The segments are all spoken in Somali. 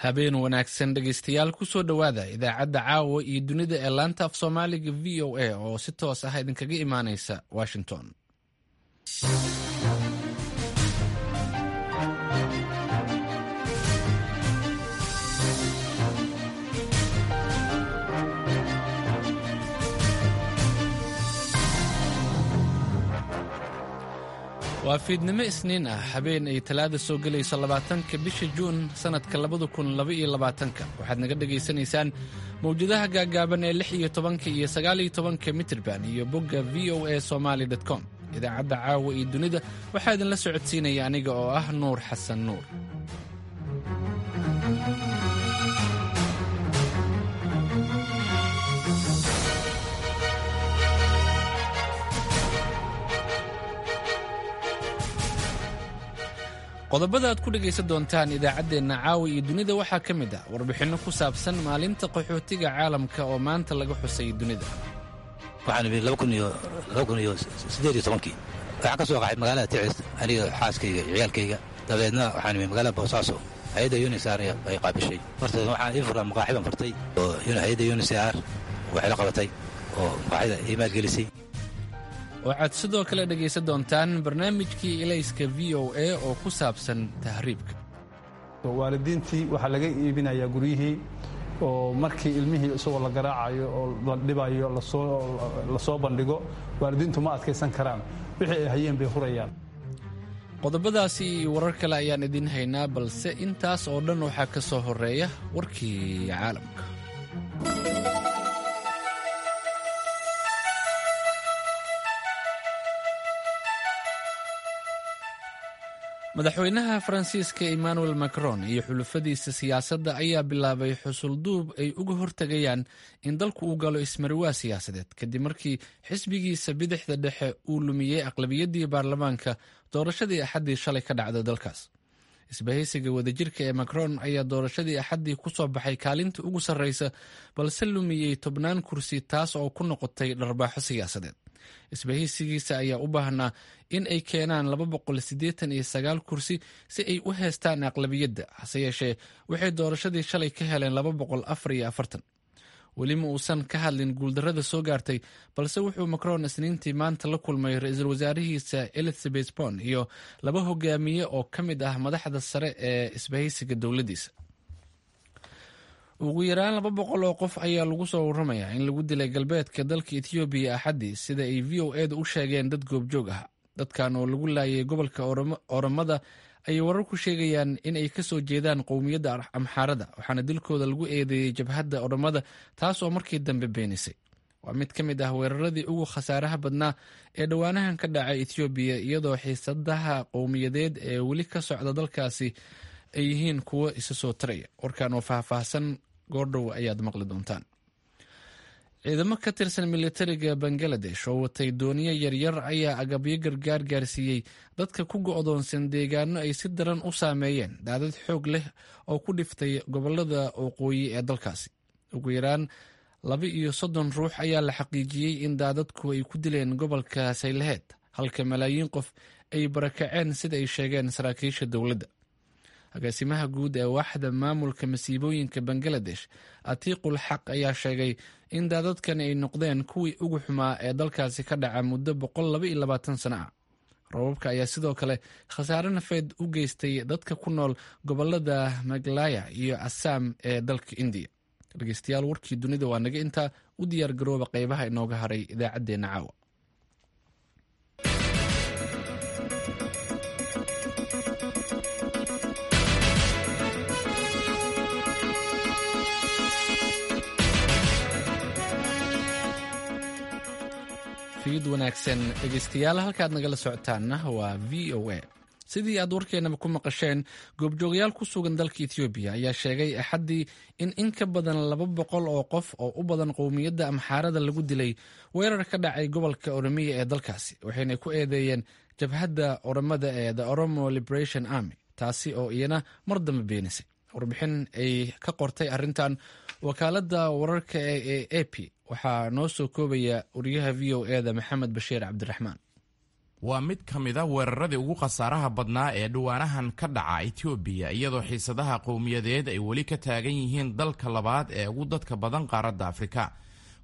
Habeen wanaagsan, dhegaystayaal. Kusoo dhowaada idaacadda caawa iyo dunida ee laanta af Soomaaliga VOA oo si toos ah idinkaga imaanaysa Washington. Waa fiidnimo Isniin ah, habeen ay Talaada soo gelayso 20-ka bisha Juun sannadka 2022-ka. Waxaad naga dhagaysanaysaan mawjadaha gaaggaaban ee 16-ka iyo 19-ka mitirban iyo bogga voasomali com. Idaacadda caawa iyo dunida waxaa idinla socodsiinaya aniga oo ah Nuur Xasan Nuur. Qodobada aad ku dhegaysan doontaan idaacaddeenna caawa iyo dunida waxaa ka mid ah warbixinno ku saabsan maalinta qaxootiga caalamka oo maanta laga xusay dunida. Waxaan imid 2018-kii. Waxaan ka soo qaxay magaalada Ticis, aniga, xaaskayga iyo ciyaalkayga. Dabeedna waxaan imid magaalada Boosaaso. Hay-adda UNHCR ay qaabishay. Horta waxaan ii furaa maqaaxi baan furtay oo hay-adda UNHCR waxay la qabatay oo maqaaxida ii maalgelisay. Waxaad sidoo kale dhegaysan doontaan barnaamijkii Ilayska VOA oo ku saabsan tahriibka. Waalidiintii waxaa laga iibinayaa guryihii, oo markii ilmihii isagoo la garaacayo oo la dhibayo lasoo bandhigo, waalidiintu ma adkaysan karaan, wixii ay hayeen bay hurayaan. Qodobadaasi iyo warar kale ayaan idiin haynaa, balse intaas oo dhan waxaa ka soo horeeya warkii caalamka. Madaxweynaha Faransiiska Emmanuel Macron iyo xulufadiisa siyaasadda ayaa bilaabay xusulduub ay uga hortegayaan in dalku uu galo ismariwaa siyaasadeed, kadib markii xisbigiisa bidixda dhexe uu lumiyey aqlabiyaddii baarlamaanka doorashadii Axaddii shalay ka dhacda dalkaas. Isbahaysiga wadajirka ee Macron ayaa doorashadii Axaddii ku soo baxay kaalinta ugu sarreysa, balse lumiyey tobnaan kursi, taas oo ku noqotay dharbaaxo siyaasadeed. Isbahaysigiisa ayaa u baahnaa in ay keenaan 289 kursi si ay u heestaan aqlabiyadda, hase yeeshee waxay doorashadii shalay ka heleen 244. Weli ma uusan ka hadlin guuldarrada soo gaartay, balse wuxuu Macron Isniintii maanta la kulmay ra-iisul wasaarihiisa Elizabeth Borne iyo laba hogaamiye oo ka mid ah madaxda sare ee isbahaysiga dowladdiisa. Ugu yaraan 200 oo qof ayaa lagu soo waramayaa in lagu dilay galbeedka dalka Etoobiya Axaddii, sida ay VOA da u sheegeen dad goobjoog ah. Dadkan oo lagu laayay gobolka Oromada ayay wararku sheegayaan in ay kasoo jeedaan qowmiyadda Amxaarada, waxaana dilkooda lagu eedeeyey jabhadda Oromada, taas oo markii dambe beenisay. Waa mid ka mid ah weeraradii ugu khasaaraha badnaa ee dhowaanahan ka dhacay Etoobiya, iyadoo xiisadaha qowmiyadeed ee weli ka socda dalkaasi ay yihiin kuwo isa soo taraya. Warkan oo faahfaahsan goordhow ayaad maqli doontaan. Ciidamo ka tirsan militariga Bangaladesh oo watay dooniyo yaryar ayaa agabyo gargaar gaarsiiyey dadka ku go'doonsan deegaano ay si daran u saameeyeen daadad xoog leh oo ku dhiftay gobolada waqooyi ee dalkaasi. Ugu yaraan 32 ruux ayaa la xaqiijiyey in daadadku ay ku dileen gobolka Saylaheed, halka malaayiin qof ay barakaceen, sida ay sheegeen saraakiisha dowladda. Agaasimaha guud ee waaxda maamulka masiibooyinka Bangaladesh, Atiiqul Xaq, ayaa sheegay in daadadkani ay noqdeen kuwii ugu xumaa ee dalkaasi ka dhaca muddo 122 sano ah. Roobabka ayaa sidoo kale khasaare nafeed u geystay dadka ku nool gobolada Maglaya iyo Assam ee dalka Indiya. Dhegeystayaal, warkii dunida waa naga intaa. U diyaar garooba qeybaha inooga haray idaacaddeenna caawa. Fiid wanaagsan, dhegeystayaal. Halkaad nagala socotaanna waa VOA. Sidii aad warkeenaba ku maqasheen, goobjoogayaal ku sugan dalka Etoobiya ayaa sheegay Axaddii in in ka badan 200 oo qof oo u badan qowmiyadda Amxaarada lagu dilay weerar ka dhacay gobolka Oromiya ee dalkaasi, waxayna ku eedeeyeen jabhadda Oromada ee The Oromo Liberation Army, taasi oo iyana mar dambe beenisay. Warbixin ay ka qortay arrintan wakaaladda wararka ee AP waxaa noo soo koobaya wariyaha VOA da, Maxamed Bashiir Cabdiraxmaan. Waa mid ka mid a weeraradii ugu khasaaraha badnaa ee dhawaanahan ka dhaca Itoobiya, iyadoo xiisadaha qowmiyadeed ay weli ka taagan yihiin dalka labaad ee ugu dadka badan qaaradda Afrika.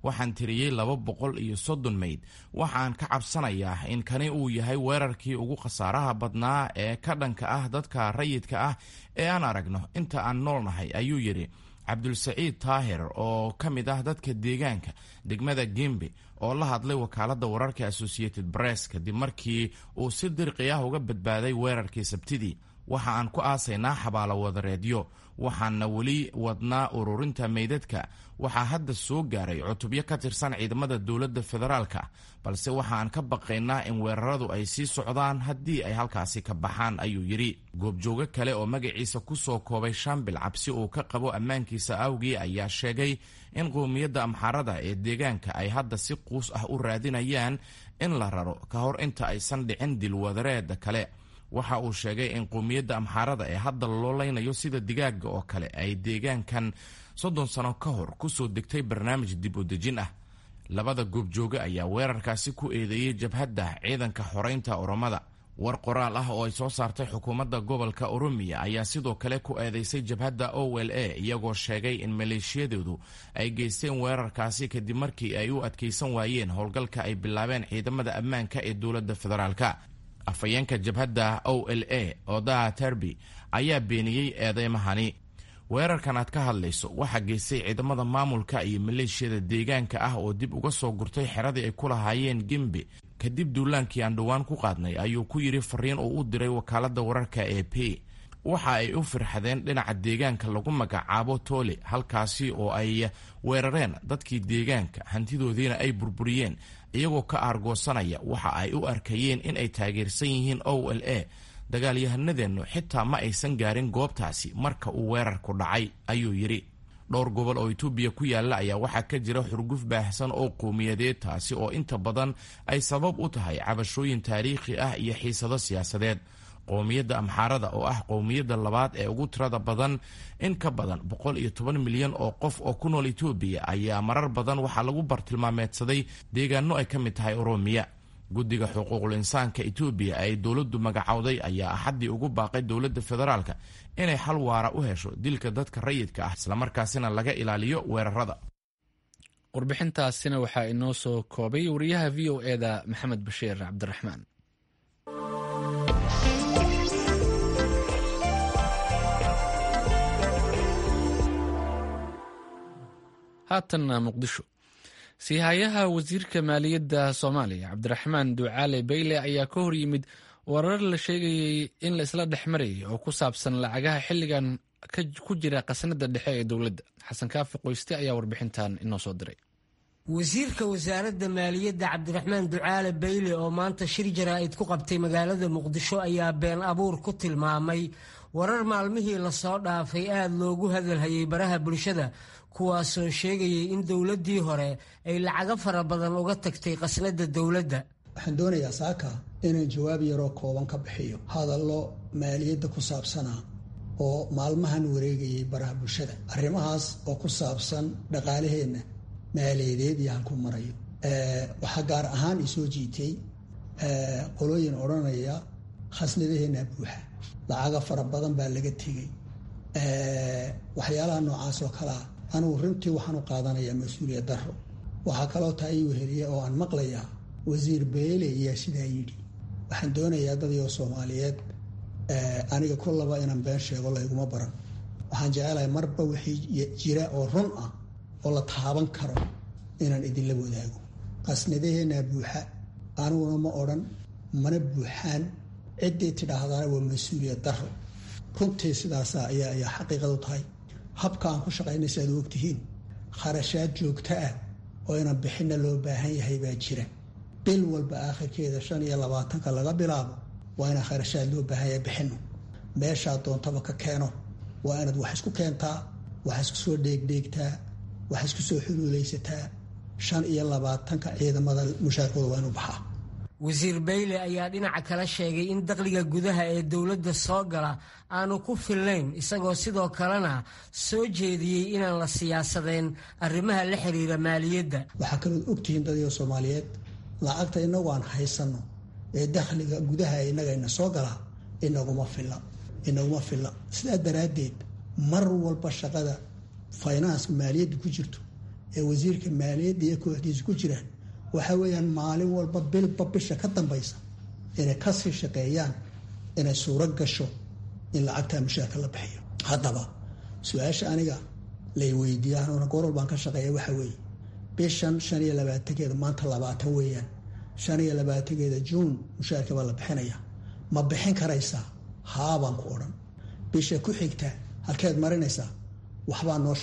Waxaan tiriyey 230 meyd. Waxaan ka cabsanayaa in kani uu yahay weerarkii ugu khasaaraha badnaa ee ka dhanka ah dadka rayidka ah ee aan aragno inta aan noolnahay, ayuu yidhi Cabdulsaciid Taahir oo ka mid ah dadka deegaanka degmada Gembe oo la hadlay wakaaladda wararka Associated Press kadib markii uu si dirqi ah uga badbaaday weerarkii Sabtidii. Waxa aan ku aasaynaa xabaalo wadareedyo, waxaana weli wadnaa ururinta meydadka. Waxaa hadda soo gaaray cutubyo ka tirsan ciidamada dowladda federaalka, balse waxa aan ka baqaynaa in weeraradu ay sii socdaan haddii ay halkaasi ka baxaan, ayuu yidhi. Goobjoogo kale oo magaciisa ku soo koobay Shambil cabsi uu ka qabo ammaankiisa awgii ayaa sheegay in qowmiyadda Amxaarada ee deegaanka ay hadda si quus ah u raadinayaan in la raro ka hor inta aysan dhicin dilwadareeda kale. Waxa uu sheegay in qowmiyadda Amxaarada ee hadda loo leynayo sida digaaga oo kale ay deegaankan 30 sano ka hor kusoo degtay barnaamij dib u dejin ah. Labada goobjooge ayaa weerarkaasi ku eedeeyey jabhadda ciidanka xoreynta Oromada. War qoraal ah oo ay soo saartay xukuumadda gobolka Oromiya ayaa sidoo kale ku eedeysay jabhadda OLA, iyagoo sheegay in maleeshiyadoodu ay geysteen weerarkaasi kadib markii ay u adkeysan waayeen howlgalka ay bilaabeen ciidamada ammaanka ee dowladda federaalka. Afhayeenka jabhadda OLA, Odaa Terbi, ayaa beeniyey eedeymahani. Weerarkan aad ka hadlayso waxaa geystay ciidamada maamulka iyo maleeshiyada deegaanka ah oo dib uga soo gurtay xeradii ay ku lahaayeen Gembe kadib duulaankii aan dhowaan ku qaadnay, ayuu ku yidhi fariin uu u diray wakaaladda wararka e P. Waxa ay u firxadeen dhinaca deegaanka lagu magacaabo Toole, halkaasi oo ay weerareen dadkii deegaanka, hantidoodiina ay burburiyeen, iyagoo ka aargoosanaya waxa ay u arkayeen in ay taageersan yihiin OLA. Dagaalyahanadeennu xitaa ma aysan gaarin goobtaasi marka uu weerarku dhacay, ayuu yidhi. Dhowr gobol oo Itoobiya ku yaalla ayaa waxaa ka jira xurguf baahsan oo qowmiyadeed, taasi oo inta badan ay sabab u tahay cabashooyin taariikhi ah iyo xiisado siyaasadeed. Qowmiyadda Amxaarada oo ah qowmiyadda labaad ee ugu tirada badan, in ka badan 110 milyan oo qof oo ku nool Itoobiya, ayaa marar badan waxaa lagu bartilmaameedsaday deegaano ay ka mid tahay Oromiya. Guddiga xuquuqul insaanka Itoobiya ay dowladdu magacowday ayaa Axaddii ugu baaqay dowladda federaalka inay xal waara u hesho dilka dadka rayidka ah, islamarkaasina laga ilaaliyo weerarada. Warbixintaasina waxaa inoo soo koobay wariyaha VOA-da Maxamed Bashiir Cabdiraxmaan. Haatanna Muqdisho. Siihayaha wasiirka maaliyadda Soomaaliya Cabdiraxmaan Ducaale Beyle ayaa ka hor yimid warar la sheegayey in la isla dhex marayay oo ku saabsan lacagaha xilligan ku jira khasnada dhexe ee dowladda. Xasan Kaafi Qoyste ayaa warbixintan inoo soo diray. Wasiirka wasaaradda maaliyadda Cabdiraxmaan Ducaale Beyle oo maanta shir jaraa'id ku qabtay magaalada Muqdisho ayaa been abuur ku tilmaamay warar maalmihii lasoo dhaafay aada loogu hadalhayay baraha bulshada, kuwaasoo sheegayay in dowladdii hore ay lacago fara badan uga tagtay khasnadda dowladda. Waxaan doonayaa saaka inaan jawaab yaroo kooban ka bixiyo hadallo maaliyadda ku saabsanaa oo maalmahan wareegayay baraha bulshada, arrimahaas oo ku saabsan dhaqaalaheenna maaliyadeed iyo halku marayo. Waxaa gaar ahaan isoo jiitay qolooyin odhanaya khasnadaheenna buuxa, lacaga fara badan baa laga tegey, waxyaalaha noocaas oo kalea. Anugu runtii waxaan u qaadanayaa mas-uuliyad darro. Waxaa kaloo taa ii weheliya oo aan maqlayaa wasiir Beele ayaa sidaa yidhi. Waxaan doonayaa dadyo Soomaaliyeed, aniga kullaba inaan been sheego layguma baran. Waxaan jecelahay marba wixii jira oo run ah oo la taaban karo inaan idinla wadaago. Qasnadaheenaa buuxa aniguna ma odhan, mana buuxaan. Ciddii tidhaahdaana waa mas-uuliyad darro. Runtii sidaasa ayaa xaqiiqadu tahay. Habka aan ku shaqaynay si aad u ogtihiin, kharashaad joogto ah oo inaan bixinna loo baahan yahay baa jira. Bil walba aakhirkeeda 25-ka laga bilaabo waa inaan kharashaad loo baahan yahay bixinno. Meeshaa doontaba ka keeno, waa inaad wax isku keentaa, wax isku soo dheegdheegtaa, wax isku soo xuluulaysataa. 25-ka ciidamada mushaarkooda waa inuu baxaa. Wasiir Beyle ayaa dhinaca kale sheegay in dakhliga gudaha ee dowladda soo gala aanu ku filnayn, isagoo sidoo kalena soo jeediyey inaan la siyaasadeen arrimaha la xiriira maaliyadda. Waxaa kalood ogtihiin dadyo Soomaaliyeed, lacagta innagu aan haysanno Ee dakhliga gudaha innagayna soo galaa inaguma filla, inaguma filla. Sidaa daraaddeed mar walba shaqada finance maaliyadda ku jirto ee wasiirka maaliyadda iyo kooxdiisa ku jiraan waxa weeyaan maalin walba, bilba bisha ka dambaysa, inay kasii shaqeeyaan inay suuro gasho in lacagtaa mushaarka la bixiyo. Haddaba su-aasha aniga lay weydiiyaan oona goor walbaan ka shaqeeya waxa weeye: bishan 25-keeda, maanta 20 weeyaan, 25-keeda Juun mushaarka baa la bixinaya, ma bixin karaysaa? Haabaan ku odhan. Bisha ku xigta halkeed marinaysaa? Waxbaa noo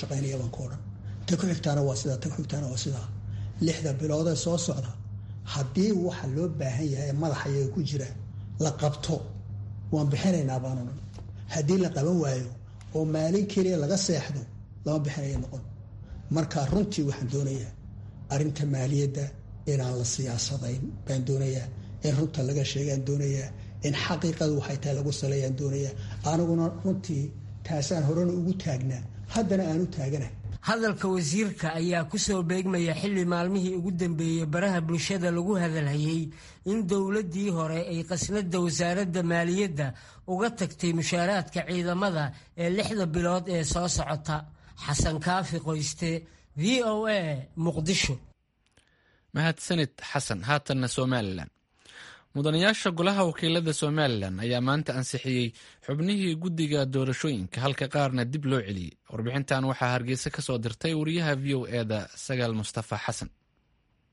shaqaynaya baan ku odhan. Ta ku xigtaana waa sidaa, ta ku xigtaana waa sidaa. 6da biloodee soo socda, haddii waxa loo baahan yahay ee madaxa iyaga ku jira la qabto, waan bixinaynaa baan odhan. Haddii la qaban waayo oo maalin keliya laga seexdo, lama bixinaya noqon. Marka runtii waxaan doonayaa arrinta maaliyadda inaan la siyaasadayn baan doonayaa, in runta laga sheegaan doonayaa, in xaqiiqadu waxay tahay lagu saleeyaan doonayaa. Aniguna runtii taasaan horena ugu taagnaa, haddana aan u taagana. Hadalka wasiirka ayaa ku soo beegmaya xilli maalmihii ugu dambeeyey baraha bulshada lagu hadalhayey in dowladdii hore ay qasnada wasaaradda maaliyadda uga tagtay mushaaraadka ciidamada ee 6da bilood ee soo socota. Xasan Kaafi Qoyste, VOA, Muqdisho. Mahadsanid, Xasan. Haatanna Somalilan. Mudanayaasha golaha wakiilada Somalilan ayaa maanta ansixiyey xubnihii guddiga doorashooyinka, halka qaarna dib loo celiyey. Warbixintan waxaa Hargeysa ka soo dirtay wariyaha VOA-da, Sagaal Mustafa Xasan.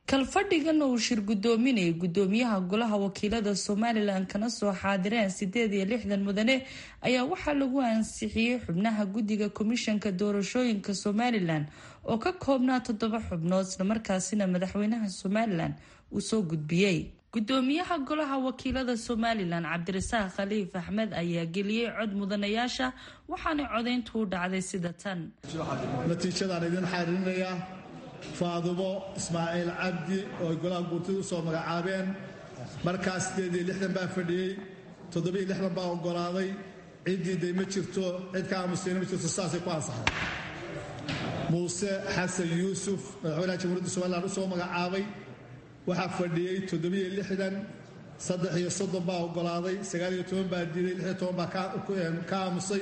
Kalfadhigan uu shir guddoominayay guddoomiyaha golaha wakiilada Somalilan, kana soo xaadireen 68 mudane, ayaa waxaa lagu ansixiyey xubnaha guddiga komishanka doorashooyinka Somalilan oo ka koobnaa toddoba xubnood, islamarkaasina madaxweynaha Somalilan uu soo gudbiyey. Gudoomiyaha golaha wakiilada Somalilan, Cabdirasaaq Khaliif Axmed, ayaa geliyey cod mudanayaasha, waxaana codayntu u dhacday sida tan. Natiijadaan idin xariirinayaa: Faadumo Ismaaciil Cabdi oo ay golaha guurtida u soo magacaabeen, markaas 68 baa fadhiyey, 67 baa oggolaaday, cid diiday ma jirto, cid ka aamustayna ma jirto, sidaasay ku ansaxday. Muuse Xasan Yuusuf, madaxweynaha Jamhuuriyadda Somalilan u soo magacaabay, waxaa fadhiyey 67, 33 baa oggolaaday, 19 baa diiday, 16 baa ka aamusay,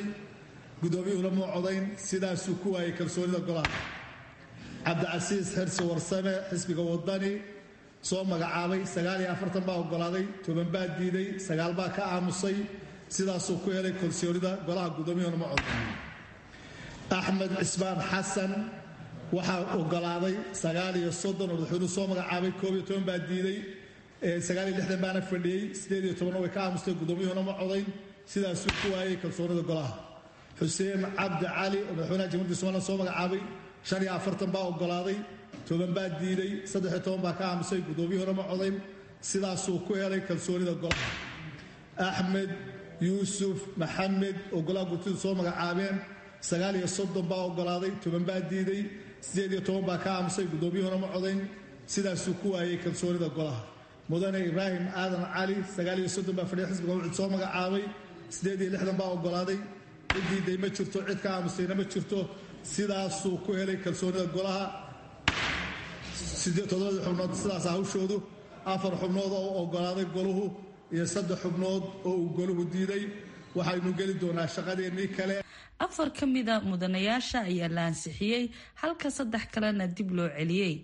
guddoomiyuhuna muu codayn, sidaasuu ku waayey kalsoonida golaha. Cabdicasiis Xirsi Warsame, xisbiga Wadani soo magacaabay, 49 baa oggolaaday, 10 baa diiday, 9 baa ka aamusay, sidaasuu ku helay kalsoonida golaha, guddoomiyuhuna ma codayn. Axmed Cismaan Xasan waxaa oggolaaday 39 oo madaxweynuhu soo magacaabay, 11 baa diiday, 69 baana fadhiyey, 18-na way ka aamustay, guddoomiyuhuna ma codayn, sidaasuu ku waayey kalsoonida golaha. Xuseen Cabdi Cali oo madaxweynaha Jamhuuriyadda Somalilan soo magacaabay, 45 baa oggolaaday, 10 baa diiday, 13 baa ka aamusay, guddoomiyuhuna ma codayn, sidaasuu ku helay kalsoonida golaha. Axmed Yuusuf Maxamed oo golaha gurtidu soo magacaabeen, 39 baa oggolaaday, 10 baa diiday, 18 baa ka aamusay, guddoomiyuhuna ma codayn, sidaasuu ku waayey kalsoonida golaha. Mudane Ibraahim Aadan Cali, 39 baa fadhiya, xisbiga Wucud soo magacaabay, 68 baa oggolaaday, cid diiday ma jirto, cid ka aamustayna ma jirto, sidaasuu ku helay kalsoonida golaha. Toddobadii xubnood sidaas hawshoodu: afar xubnood oo oggolaaday goluhu iyo saddex xubnood oo uu goluhu diiday. Waxaynu geli doonaa shaqadeennii kale. Afar ka mida mudanayaasha ayaa la ansixiyey, halka saddex kalena dib loo celiyey.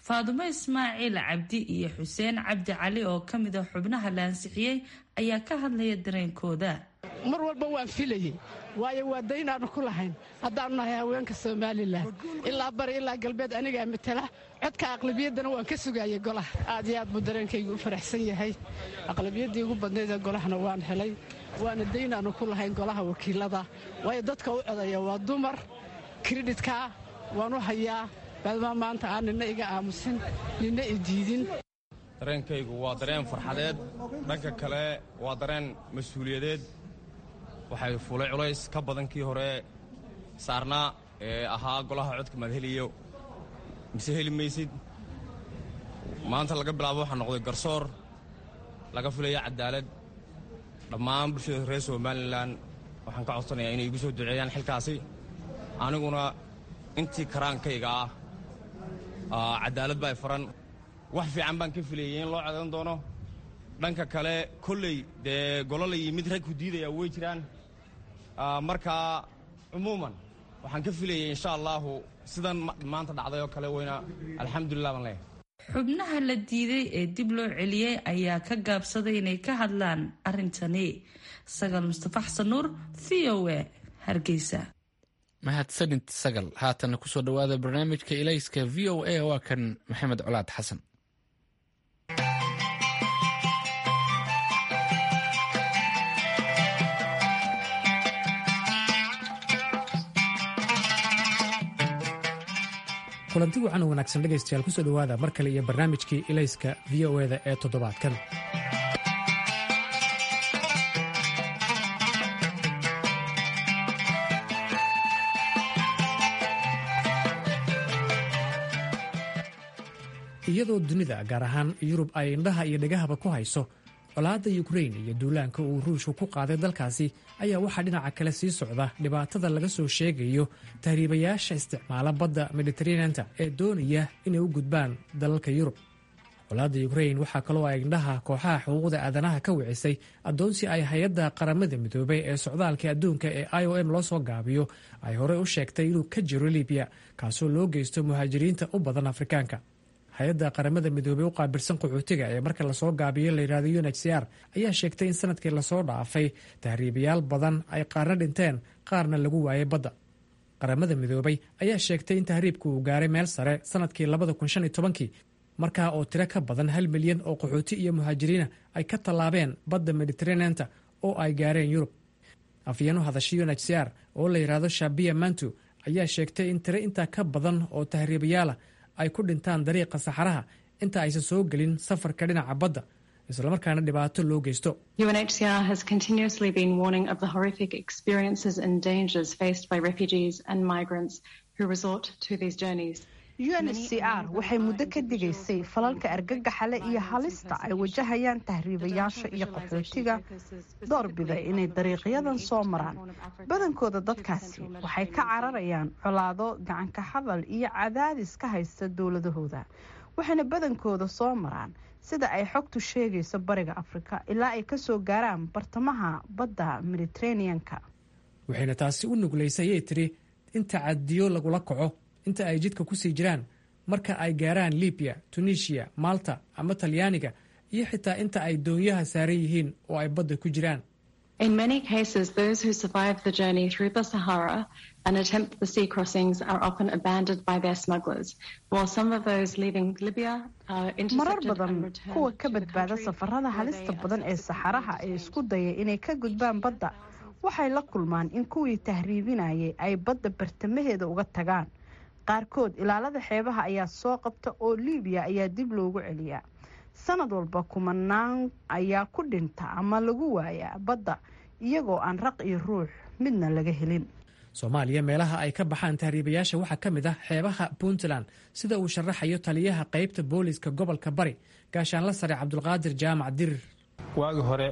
Faadumo Ismaaciil Cabdi iyo Xuseen Cabdi Cali oo ka mida xubnaha la ansixiyey ayaa ka hadlaya dareenkooda. Mar walba waan filayey, waayo waa daynaannu ku lahayn haddaannu nahay haweenka Somalilan, ilaa bari ilaa galbeed anigaa matala. Codka aqlabiyaddana waan ka sugaayay golaha. Aad iyo aad buu dareenkaygu u faraxsan yahay. Aqlabiyaddii ugu badnayd ee golahana waan helay, waana daynaannu ku lahayn golaha wakiilada, waayo dadka u codaya waa dumar. Kreditkaa waan u hayaa maadaama maanta aan nina iga aamusin, nina i diidin. Dareenkaygu waa dareen farxadeed, dhanka kale waa dareen mas-uuliyadeed. Waxay fuulay culays ka badan kii hore saarnaa ee ahaa golaha codka maad heliyo mise heli maysid. Maanta laga bilaabo waxaa noqday garsoor laga filaya cadaalad. Dhammaan bulshada reer Somalilan waxaan ka codsanayaa inay igu soo duceeyaan xilkaasi, aniguna intii karaankayga ah cadaalad baa faran. Wax fiican baan ka filayay in loo codan doono. Dhanka kale kolley dee golo la yimid rag ku diidaya way jiraan. Markaa cumuuman waxaan ka filayay insha allaahu sidan maanta dhacday oo kale weyna, alxamdulilah baan leeyahay. Xubnaha la diiday ee dib loo celiyey ayaa ka gaabsaday inay ka hadlaan arrintani. Sagal Mustafa Xasan Nuur, V O A, Hargeysa. Mahadsanid Sagal. Haatana kusoo dhowaada barnaamijka Ilayska V O A, waa kan Maxamed Colaad Xasan. Kulanti wacan oo wanaagsan dhegaystayaal, kusoo dhowaada mar kale iyo barnaamijkii Ilayska V O eda ee toddobaadkan. Iyadoo dunida, gaar ahaan Yurub, ay indhaha iyo dhegahaba ku hayso colaadda Yukrain iyo duulaanka uu Ruushku ku qaaday dalkaasi, ayaa waxaa dhinaca kale sii socda dhibaatada laga soo sheegayo tahriibayaasha isticmaala badda Mediteraneanta ee doonaya inay u gudbaan dalalka Yurub. Colaadda Yukrain waxaa kaloo ay indhaha kooxaha xuquuqda aadanaha ka wicisay addoonsi ay hay-adda Qaramada Midoobay ee socdaalka adduunka ee IOM loo soo gaabiyo ay horey u sheegtay inuu ka jiro Libiya, kaasoo loo geysto muhaajiriinta u badan Afrikaanka. Hay-adda Qaramada Midoobey u qaabilsan qaxootiga ee marka lasoo gaabiyo layidhahdo UNHCR ayaa sheegtay in sanadkii lasoo dhaafay tahriibayaal badan ay qaarna dhinteen, qaarna lagu waayay badda. Qaramada Midoobey ayaa sheegtay in tahriibku uu gaaray meel sare sanadkii 2015-kii, markaa oo tiro ka badan 1 milyan oo qaxooti iyo muhaajiriina ay ka tallaabeen badda Mediteraneanta oo ay gaareen Yurub. Afyeeno hadashay UNHCR oo la yidhaahdo Shabia Mantu ayaa sheegtay in tiro intaa ka badan oo tahriibayaala ay ku dhintaan dariiqa saxaraha inta aysan soo gelin safarka dhinaca badda, islamarkaana dhibaato loo geysto. UNHCR has continuously been warning of the horrific experiences and dangers faced by refugees and migrants who resort to these journeys. UNHCR waxay muddo ka digaysay falalka argagaxale iyo halista ay wajahayaan tahriibayaasha iyo qaxootiga doorbida inay dariiqyadan soo maraan. Badankooda dadkaasi waxay ka cararayaan colaado, gacanka hadal iyo cadaadis ka haysta dowladahooda, waxayna badankooda soo maraan, sida ay xogtu sheegayso, bariga Afrika ilaa ay kasoo gaaraan bartamaha badda Mediteraneanka. Waxayna taasi u nuglaysay, ayay tiri, in tacadiyo lagula kaco inta ay jidka ku sii jiraan, marka ay gaaraan Libiya, Tunisiya, Malta ama Talyaaniga, iyo xitaa inta ay doonyaha saaran yihiin oo ay badda ku jiraan. In many cases, those who survive the journey through the Sahara and attempt the sea crossings are often abandoned by their smugglers, while some of those leaving Libya are Marar intercepted and badan returned kuwa ka to the badbaada country safarada where halista they are badan ee saxaraha ee isku daya inay ka gudbaan badda waxay la kulmaan in kuwii tahriibinayay ay badda bartamaheeda uga tagaan. Qaarkood ilaalada xeebaha ayaa soo qabta oo Liibiya ayaa dib loogu celiyaa. Sanad walba kumanaan ayaa ku dhinta ama lagu waayaa badda, iyagoo aan raq iyo ruux midna laga helin. Soomaaliya meelaha ay ka baxaan tahriibayaasha waxaa ka mid ah xeebaha Puntland, sida uu sharaxayo taliyaha qaybta booliiska gobolka Bari, gaashaanla sare Cabdulqaadir Jaamac Dirir. Waagi hore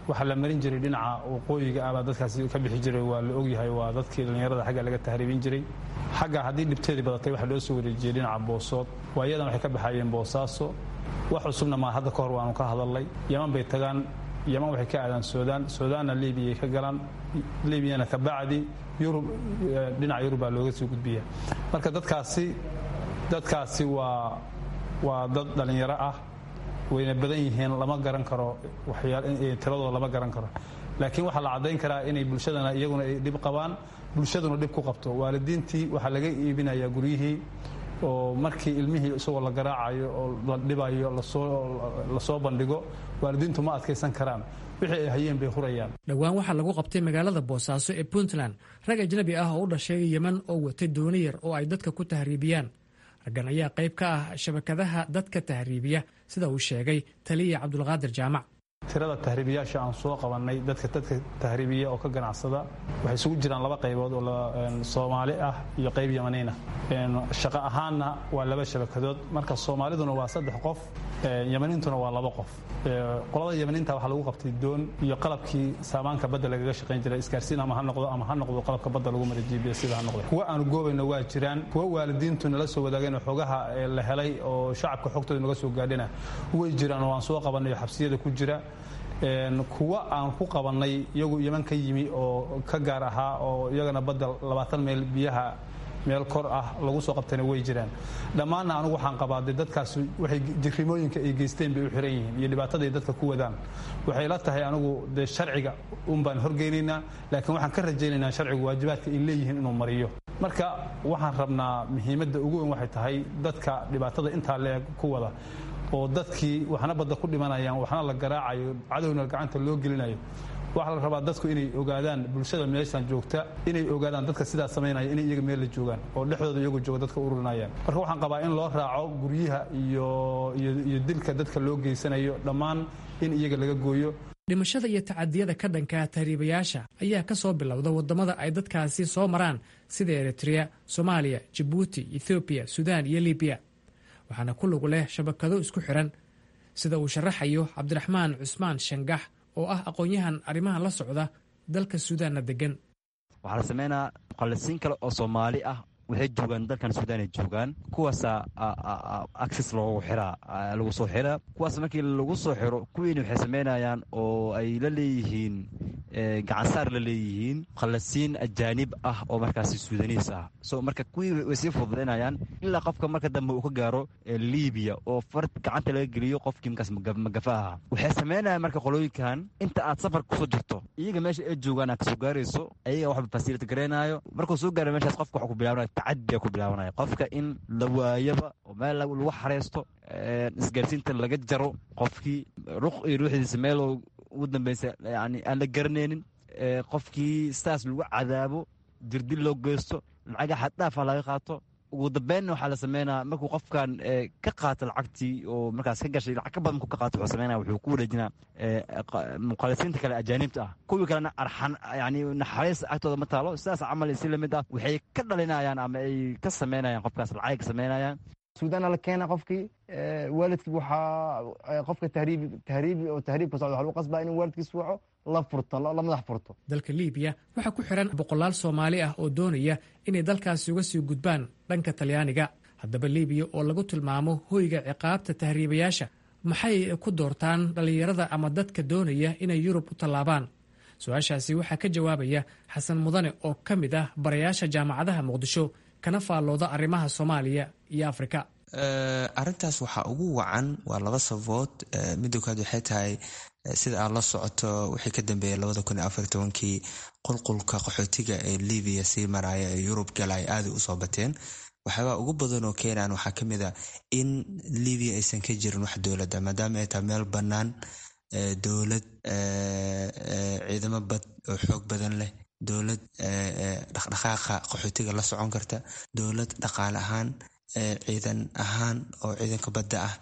waxaa la marin jiray dhinaca waqooyiga ah baa dadkaasi ka bixi jiray, waa la ogyahay, waa dadkii dhallinyarada xagga laga tahriibin jiray. Xagga haddii dhibteedii badatay, waxaa loo soo wareejiyey dhinaca Boosood. Waayadan waxay ka baxayeen Boosaaso. Wax cusubna maa, hadda ka hor waanu ka hadalnay. Yaman bay tagaan, Yaman waxay ka aadaan Suudaan, Suudaanna Liibiyay ka galaan, Liibiyana ka bacdi Yurub, dhinaca Yurub baa looga sii gudbiya. Marka dadkaasi waa dad dhallinyaro ah, wayna badan yihiin, lama garan karo tiradooda, lama garan karo, laakiin waxaa la caddayn karaa inay bulshadana iyaguna ay dhib qabaan, bulshaduna dhib ku qabto. Waalidiintii waxaa laga iibinayaa guryihii oo markii ilmihii isagoo la garaacayo oo la dhibayo lasoo bandhigo, waalidiintu ma adkaysan karaan, wixii ay hayeen bay hurayaan. Dhowaan waxaa lagu qabtay magaalada Boosaaso ee Puntland rag ajnabi ah oo u dhashay Yeman oo watay dooni yar oo ay dadka ku tahriibiyaan. Raggan ayaa qayb ka ah shabakadaha dadka tahriibiya, sida uu sheegay taliya Cabdulqaadir Jaamac. Tirada tahriibiyaasha aan soo qabannay, dadka tahriibiya oo ka ganacsada, waxay isugu jiraan laba qaybood oo Soomaali ah iyo qayb Yamaniin ah. Shaqo ahaanna waa laba shabakadood. Marka Soomaaliduna waa 3 qof, Yamaniintuna waa 2 qof. Qolada Yamaniinta waxaa lagu qabtay doon iyo qalabkii saamaanka badda lagaga shaqayn jiray, isgaarsiin ama ha noqdo ama ha noqdo qalabka badda lagu maray GPS sida ha noqdo. Kuwa aanu goobayna waa jiraan, kuwa waalidiintu nala soo wadaageen oo xogaha la helay oo shacabka xogtooda naga soo gaadhina way jiraan oo aan soo qabanay oo xabsiyada ku jira. Kuwa aan ku qabannay iyagu Yeman ka yimi oo ka gaar ahaa oo iyagana badda 20 meel biyaha meel kor ah lagu soo qabtayna way jiraan. Dhammaanna anigu waxaan qabaa dee dadkaas waxay jirrimooyinka ay geysteen bay u xiran yihiin iyo dhibaataday dadka ku wadaan. Waxay la tahay anigu dee sharciga un baan horgeynaynaa, laakiin waxaan ka rajaynaynaa sharcigu waajibaadka ay leeyihiin inuu mariyo. Marka waxaan rabnaa muhiimadda ugu weyn waxay tahay dadka dhibaatada intaa leeg ku wada oo dadkii waxna badda ku dhimanayaan, waxna la garaacayo, cadowna gacanta loo gelinayo. Waxaa la rabaa dadku inay ogaadaan, bulshada meeshan joogta inay ogaadaan dadka sidaa samaynaya inay iyaga meel la joogaan oo dhexdooda iyagu jooga dadka ururinayaan. Marka waxaan qabaa in loo raaco guryaha iyo dilka dadka loo geysanayo dhammaan in iyaga laga gooyo. Dhimashada iyo tacadiyada ka dhanka tahriibayaasha ayaa ka soo bilowda waddamada ay dadkaasi soo maraan sida Eritrea, Soomaaliya, Jabuuti, Ethoobiya, Suudaan iyo Libiya, waxaana ku lug leh shabakado isku xiran, sida uu sharaxayo Cabdiraxmaan Cusmaan Shangax oo ah aqoon-yahan arrimaha la socda, dalka Suudaanna degan. Waxaa la sameynaa muqallisiin kale oo Soomaali ah, waxay joogaan dalkan Suudaan ay joogaan. Kuwaasaa access loogu xiraa, lagu soo xiraa. Kuwaas markii lagu soo xiro, kuwiina waxay sameynayaan oo ay la leeyihiin gacansaar la leeyihiin muqallisiin ajaanib ah oo markaasi Suudaniis ah. So marka kuwii way sii fududaynayaan ilaa qofka marka dambe uu ka gaaro Libiya oo far gacanta laga geliyo qofkii markaas magafa ahaa. Waxay sameynayaan marka qolooyinkan inta aad safar kusoo jirto, iyaga meesha ay joogaan aad kasoo gaarayso, ayaga waxba fasility gareynayo. Markuu soo gaaro meeshaas, qofka waxa ku bilaabanaya tacadiya ku bilaabanaya, qofka in la waayaba oo meel lagu xareysto, isgaarsiinta laga jaro, qofkii ruq iyo ruuxdiisa meel ugu dambeysa yani aan la garanaynin, qofkii sidaas lagu cadaabo, dirdil loo geysto, lacaga xaddhaafa laga qaato. Ugu dambeynna waxaa la sameynaa markuu qofkan ka qaato lacagtii oo markaas ka gashay, lacag ka badan markuu ka qaato, wuxuu sameynaya wuxuu ku wareejinaa muqallisiinta kale ajaanibta ah. Kuwii kalena arxan yani naxariis agtooda ma taalo. Sidaas camal si lamid ah waxay ka dhalinayaan ama ay ka sameynayaan qofkaas lacag ka sameynayaan. Suudaana la keena qofkii, waalidkii waxaa qofka tahriibi tahriibi oo tahriibka socda waxaa lagu qasbaa inuu waalidkiis waco, la furto, la madax furto. Dalka Liibiya waxaa ku xiran boqolaal Soomaali ah oo doonaya inay dalkaasi uga sii gudbaan dhanka Talyaaniga. Haddaba Liibiya oo lagu tilmaamo hoyga ciqaabta tahriibayaasha, maxay ku doortaan dhallinyarada ama dadka doonaya inay Yurub u tallaabaan? Su-aashaasi waxaa ka jawaabaya Xasan Mudane oo ka mid ah barayaasha jaamacadaha Muqdisho kana faallooda arrimaha Soomaaliya iyo Afrika. Arrintaas waxaa ugu wacan waa laba sababood. Midda koowaad waxay tahay, sida aad la socoto, wixii ka dambeeyay 2014-kii qulqulka qaxootiga ee Libiya sii maraya ee Yurub galaya aaday usoo bateen. Waxyaabaa ugu badan oo keenaan waxaa kamid a in Libiya aysan ka jirin wax dowladda, maadaama ay tahay meel bannaan, dowlad ciidamo bad oo xoog badan leh, dowlad dhaqdhaqaaqa qaxootiga la socon karta, dowlad dhaqaale ahaan, ciidan ahaan oo ciidanka badda ah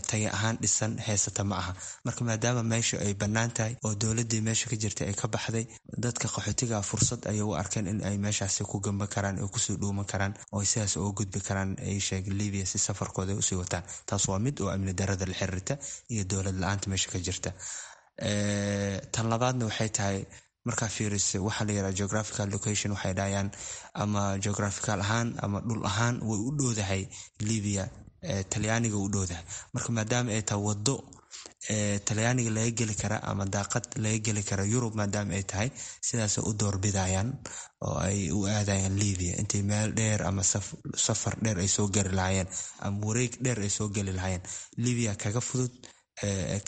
taya ahaan dhisan heysata ma aha. Marka maadaama meesha ay bannaan tahay oo dowladdii meesha ka jirtay ay ka baxday, dadka qaxootiga fursad ayay u arkeen in ay meeshaasi ku gamban karaan oo kusii dhuuman karaan oo sidaas uga gudbi karaan ay sheeg Libiya si safarkooda ay usii wataan. Taas waa mid oo amni darada la xiriirta iyo dowlad la-aanta meesha ka jirta. Tan labaadna waxay tahay, markaa fiiriso waxaa la yiraha geographical location, waxay dhahayaan ama geographical ahaan ama dhul ahaan way u dhowdahay Libiya, Talyaaniga u dhowdahay. Marka maadaama ay tahay wado Talyaaniga laga geli kara ama daaqad laga geli kara Yurub, maadaama ay tahay, sidaasay u doorbidayaan oo ay u aadayaan Libiya intay meel dheer ama safar dheer ay soo geli lahaayeen ama wareeg dheer ay soo geli lahaayeen. Libiya kaga fudud,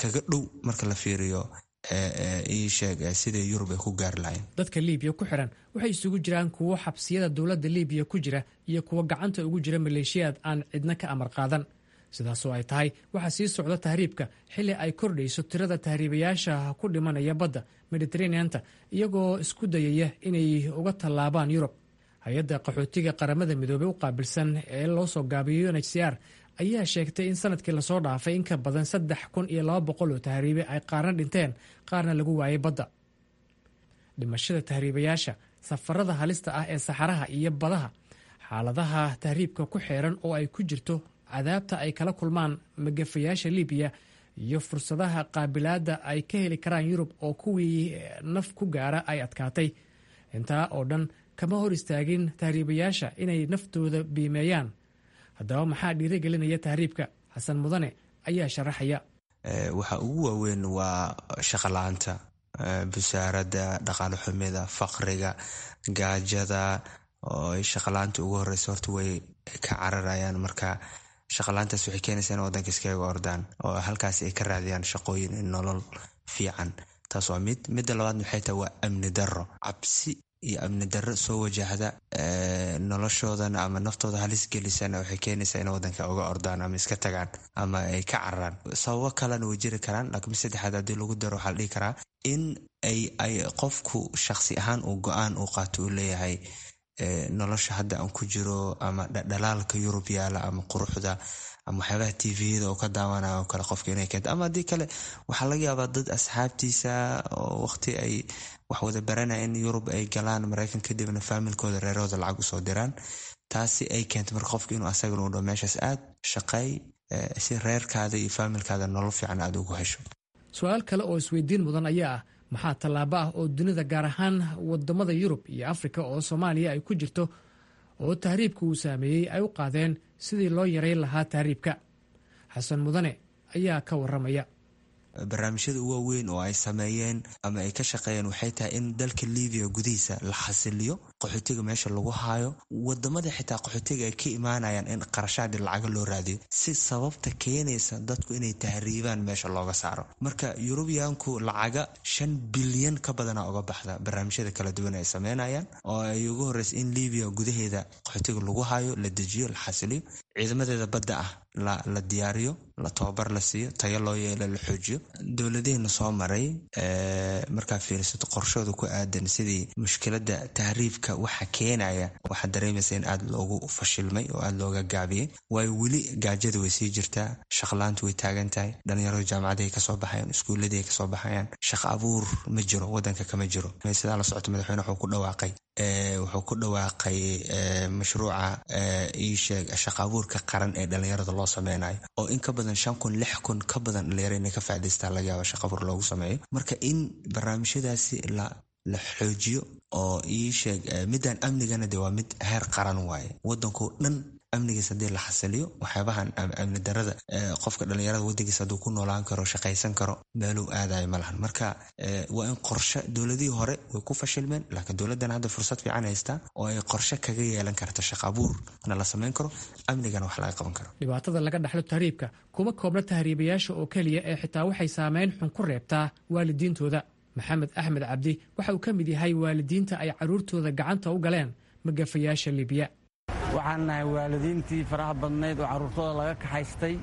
kaga dhow marka la fiiriyo ii sheeg sidai Yurub ay ku gaari lahayen. Dadka Liibiya ku xiran waxay isugu jiraan kuwo xabsiyada dowladda Liibiya ku jira iyo kuwo gacanta ugu jira maleeshiyaad aan cidna ka amar qaadan. Sidaasoo ay tahay, waxaa sii socda tahriibka xilli ay kordhayso tirada tahriibayaasha ku dhimanaya badda Mediteraneanta iyagoo isku dayaya inay uga tallaabaan Yurub. Hay-adda qaxootiga Qaramada Midoobey u qaabilsan ee loo soo gaabiyo UNHCR ayaa sheegtay in sanadkii lasoo dhaafay in ka badan 3,200 oo tahriibe ay qaarna dhinteen, qaarna lagu waayay badda. Dhimashada tahriibayaasha, safarada halista ah ee saxaraha iyo badaha, xaaladaha tahriibka ku xeeran oo ay ku jirto cadaabta ay kala kulmaan magafayaasha Libiya, iyo fursadaha qaabilaadda ay ka heli karaan Yurub oo kuwii naf ku gaara ay adkaatay, intaa oo dhan kama hor istaagin tahriibayaasha inay naftooda biimeeyaan. Haddaba, maxaa dhiirigelinaya tahriibka? Xasan Mudane ayaa sharaxaya. Waxa ugu waaweyn waa shaqo la-aanta, busaaradda, dhaqaale xumida, faqriga, gaajada, oo ay shaqala-aanta ugu horeysa. Horta way ka cararayaan. Marka shaqala-aantaas waxay keenaysaa in wadanka iskaga ordaan oo halkaas ay ka raadiyaan shaqooyin, nolol fiican. Taas waa mid. Midda labaadna waxay tahay waa amni darro, cabsi iyo amni darro soo wajahda noloshoodana ama naftooda halis gelisana, waxay keenaysaa in wadanka uga ordaan ama iska tagaan ama ay ka cararaan. Sababo kalena way jiri karaan, laakiin mid saddexaad haddii lagu daro, waxaa la dhihi karaa in ay qofku shaqsi ahaan uu go-aan uu qaato, uu leeyahay nolosha hadda aan ku jiro ama dhalaalka Yurub yaala ama quruxda ama waxyaabaha TV-yada oo ka daawanayo oo kale qofka inay keento. Ama haddii kale, waxaa laga yaabaa dad asxaabtiisa oo waqti ay wax wada baranaya in Yurub ay galaan, Maraykan, kadibna faamilkooda, reerahooda lacag usoo diraan. Taasi ay keento marka qofka inuu asagana u dhaho meeshaas aad shaqeey si reerkaada iyo faamilkaada nolol fiican aada ugu hesho. Su-aal kale oo isweydiin mudan ayaa ah: maxaa tallaabo ah oo dunida, gaar ahaan wadamada Yurub iyo Afrika oo Soomaaliya ay ku jirto oo tahriibka uu saameeyey, ay u qaadeen sidii loo yareyn lahaa tahriibka? Xasan Mudane ayaa ka waramaya. Barnaamijyada ugu waaweyn oo ay sameeyeen ama ay ka shaqeeyeen waxay tahay in dalka Libiya gudihiisa la xasiliyo, qaxootiga meesha lagu haayo, wadamada xitaa qaxootiga ay ka imaanayaan in qarashaadi lacaga loo raadiyo si sababta keenaysa dadku inay tahriibaan meesha looga saaro. Marka Yurubiyaanku lacaga 5 bilyan ka badana uga baxda barnaamijyada kala duwan ay sameynayaan, oo ay ugu horeysa in Libiya gudaheeda qaxootiga lagu haayo, la dejiyo, la xasiliyo, ciidamadeeda badda ah la diyaariyo, la tababar la siiyo, tayo loo yeelo, la xoojiyo. Dowladihiina soo maray markaa fiirsato qorshooda ku aadan sidii mushkilada tahriibka waxa keenaya, waxaad dareemaysa in aada loogu fashilmay oo aada looga gaabiyey, waayo weli gaajada way sii jirtaa, shaqlaantu way taagan tahay, dhalinyaradu jaamacadahay kasoo baxayaan, iskuuladii kasoo baxayaan, shaqo abuur ma jiro, wadanka kama jiro. Sidaa la socota, madaxweyne wuxuu ku dhawaaqay mashruuca iisheeg shaqa abuurka qaran ee dhalinyarada loo sameynayo, oo in ka badan 5,000, 6,000 ka badan dhalinyaro inay ka faa'idaystaan laga yaaba shaqa abuur loogu sameeyo. Marka in barnaamijyadaasi la xoojiyo oo iisheeg midaan amnigana de waa mid heer qaran waaye. Wadankoo dhan amnigiis haddii la xasiliyo, waxyaabahan amni darada, qofka dhalinyarada wadankiisa hadduu ku noolaan karo, shaqaysan karo, meeluu aadayo ma lahan. Marka waa in qorshe, dowladihii hore way ku fashilmeen, laakiin dowladdan hadda fursad fiican haystaa oo ay qorshe kaga yeelan karta, shaqa abuurna la samayn karo, amnigana wax laga qaban karo. Dhibaatada laga dhaxlo tahriibka kuma koobna tahriibayaasha oo keliya ee xitaa waxay saameyn xun ku reebtaa waalidiintooda. Maxamed Axmed Cabdi waxa uu ka mid yahay waalidiinta ay carruurtooda gacanta u galeen magafayaasha Libiya. Waxaan nahay waalidiintii faraha badnayd oo carruurtooda laga kaxaystay.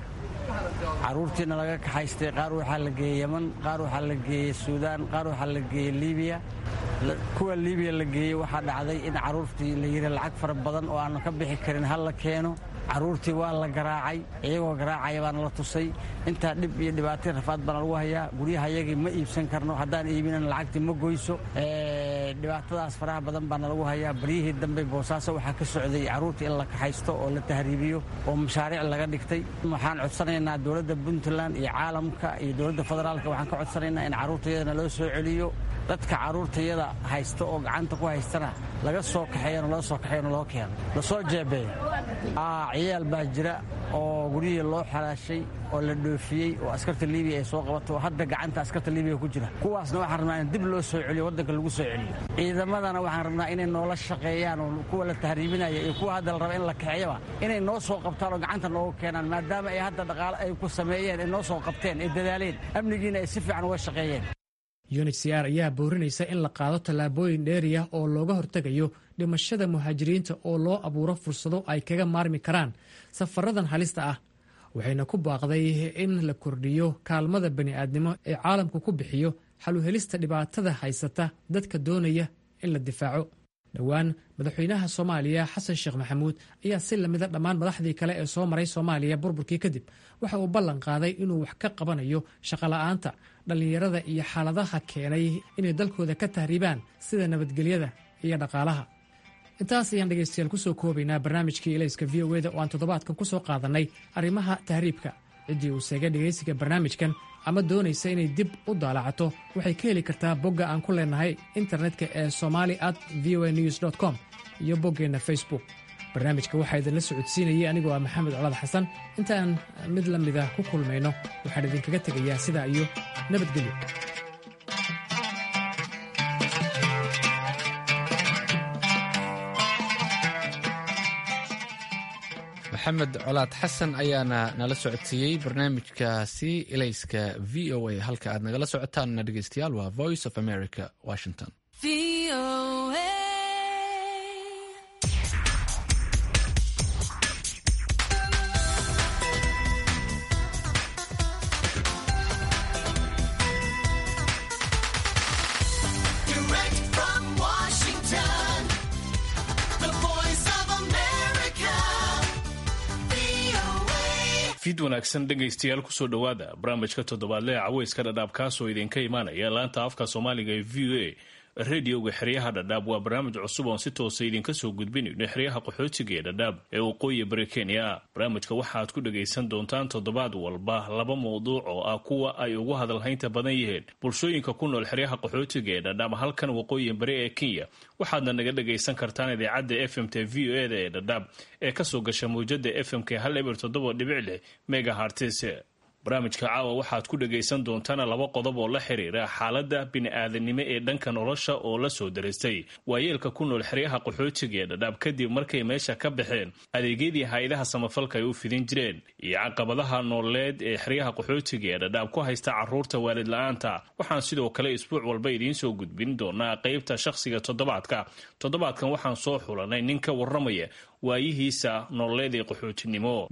Carruurtiina laga kaxaystay, qaar waxaa la geeyey Yeman, qaar waxaa la geeyey Suudaan, qaar waxaa la geeyey Liibiya. Kuwa Liibiya la geeyey, waxaa dhacday in carruurtii la yidhi lacag fara badan oo aanu ka bixi karin ha la keeno. Carruurtii waa la garaacay, iyagoo garaacaya baana la tusay. Intaa dhib iyo dhibaatay, rafaad baana lagu hayaa. Guryahayagii ma iibsan karno, haddaan iibinan lacagtii ma goyso. Dhibaatadaas faraha badan baana lagu hayaa. Baryihii dambe Boosaaso waxaa ka socday carruurtii in la kaxaysto oo la tahriibiyo oo mashaariic laga dhigtay. Waxaan codsanaynaa dowladda Puntland iyo caalamka iyo dowladda federaalka, waxaan ka codsanaynaa in carruurtayadana loo soo celiyo, dadka carruurtayada haysta oo gacanta ku haystana laga soo kaxeeyano, loo soo kaxeeyano, loo keeno, lasoo jeebeeyo. Ciyaal baa jira oo guryihii loo xalaashay oo la dhoofiyey oo askarta Libiya ay soo qabato oo hadda gacanta askarta Libiya ku jira. Kuwaasna waxaan rabnaa in dib loo soo celiyo, waddanka lagu soo celiyo. Ciidamadana waxaan rabnaa inay noola shaqeeyaan oo kuwa la tahriibinaya iyo kuwa hadda la raba in la kaxeeyaba inay noo soo qabtaan oo gacanta noogu keenaan, maadaama ay hadda dhaqaale ay ku sameeyeen, ay noo soo qabteen, ay dadaaleen, amnigiina ay si fiican uga shaqeeyeen. UNHCR ayaa boorinaysa in la qaado tallaabooyin dheeriah oo looga hortegayo dhimashada muhaajiriinta oo loo abuuro fursado ay kaga maarmi karaan safaradan halista ah, waxayna ku baaqday in la kordhiyo kaalmada bani'aadnimo ee caalamku ku bixiyo xaluhelista dhibaatada haysata dadka doonaya in la difaaco. Dhowaan madaxweynaha Soomaaliya Xasan Sheekh Maxamuud ayaa si lamida dhammaan madaxdii kale ee soo maray Soomaaliya burburkii kadib waxa uu ballan qaaday inuu wax ka qabanayo shaqola'aanta dhallinyarada iyo xaaladaha keenay inay dalkooda ka tahriibaan sida nabadgelyada iyo dhaqaalaha. Intaas ayaan dhegaystayaal kusoo koobaynaa barnaamijkii Ilayska v o eda oo aan toddobaadkan ku soo qaadannay arrimaha tahriibka. Ciddii uu seegay dhegaysiga barnaamijkan ama doonaysa inay dib u daalacato waxay ka heli kartaa bogga aan ku leenahay internetka ee somali at v o a news com iyo boggeenna Facebook. Barnaamijka waxaa idinla socodsiinayay anigoo ah Maxamed Colaad Xasan. Intaan mid la mida ku kulmayno waxaan idinkaga tegayaa sidaa iyo nabadgelyo. Maxamed Colaad Xasan ayaana nala socodsiiyey barnaamijkaasi Ilayska v o a. Halka aad nagala socotaanna, dhegeystayaal, waa Voice of America, Washington. Direct from Washington, the Voice of America, VOA. Fiid wanaagsan, dhegaystayaal, kusoo dhowaada barnaamijka toddobaadle ee Caweyska Dhadhaab, kaasoo idinka imaanaya laanta afka Soomaaliga ee v o a radioga xeryaha Dhadhaab. Waa barnaamij cusub oon si toosa idinka soo gudbinayno xeryaha qaxootiga ee Dhadhaab ee waqooyi bari Kenya. Barnaamijka waxaad ku dhagaysan doontaan toddobaad walba laba mawduuc oo ah kuwa ay ugu hadalhaynta badan yihiin bulshooyinka ku nool xeryaha qaxootiga ee Dhadhaab halkan waqooyi bari ee Kenya. Waxaadna naga dhagaysan kartaan idaacadda f m t v o e da ee Dhadhaab ee kasoo gasha mawjada f m k 107.6 megahertz. Barnaamijka caawa waxaad ku dhagaysan doontaan laba qodob oo la xiriira xaaladda bini'aadanimo ee dhanka nolosha oo la soo daristay waayeelka ku nool xeryaha qaxootiga ee Dhadhaab kadib markay meesha ka baxeen adeegyadii hay-adaha samafalka ay u fidin jireen, iyo caqabadaha nololeed ee xeryaha qaxootiga ee Dhadhaab ku haysta caruurta waalid la-aanta. Waxaan sidoo kale isbuuc walba idiin soo gudbin doonaa qeybta shakhsiga toddobaadka. Toddobaadkan waxaan soo xulanay nin ka warramaya waayihiisa nololeed ee qaxootinimo.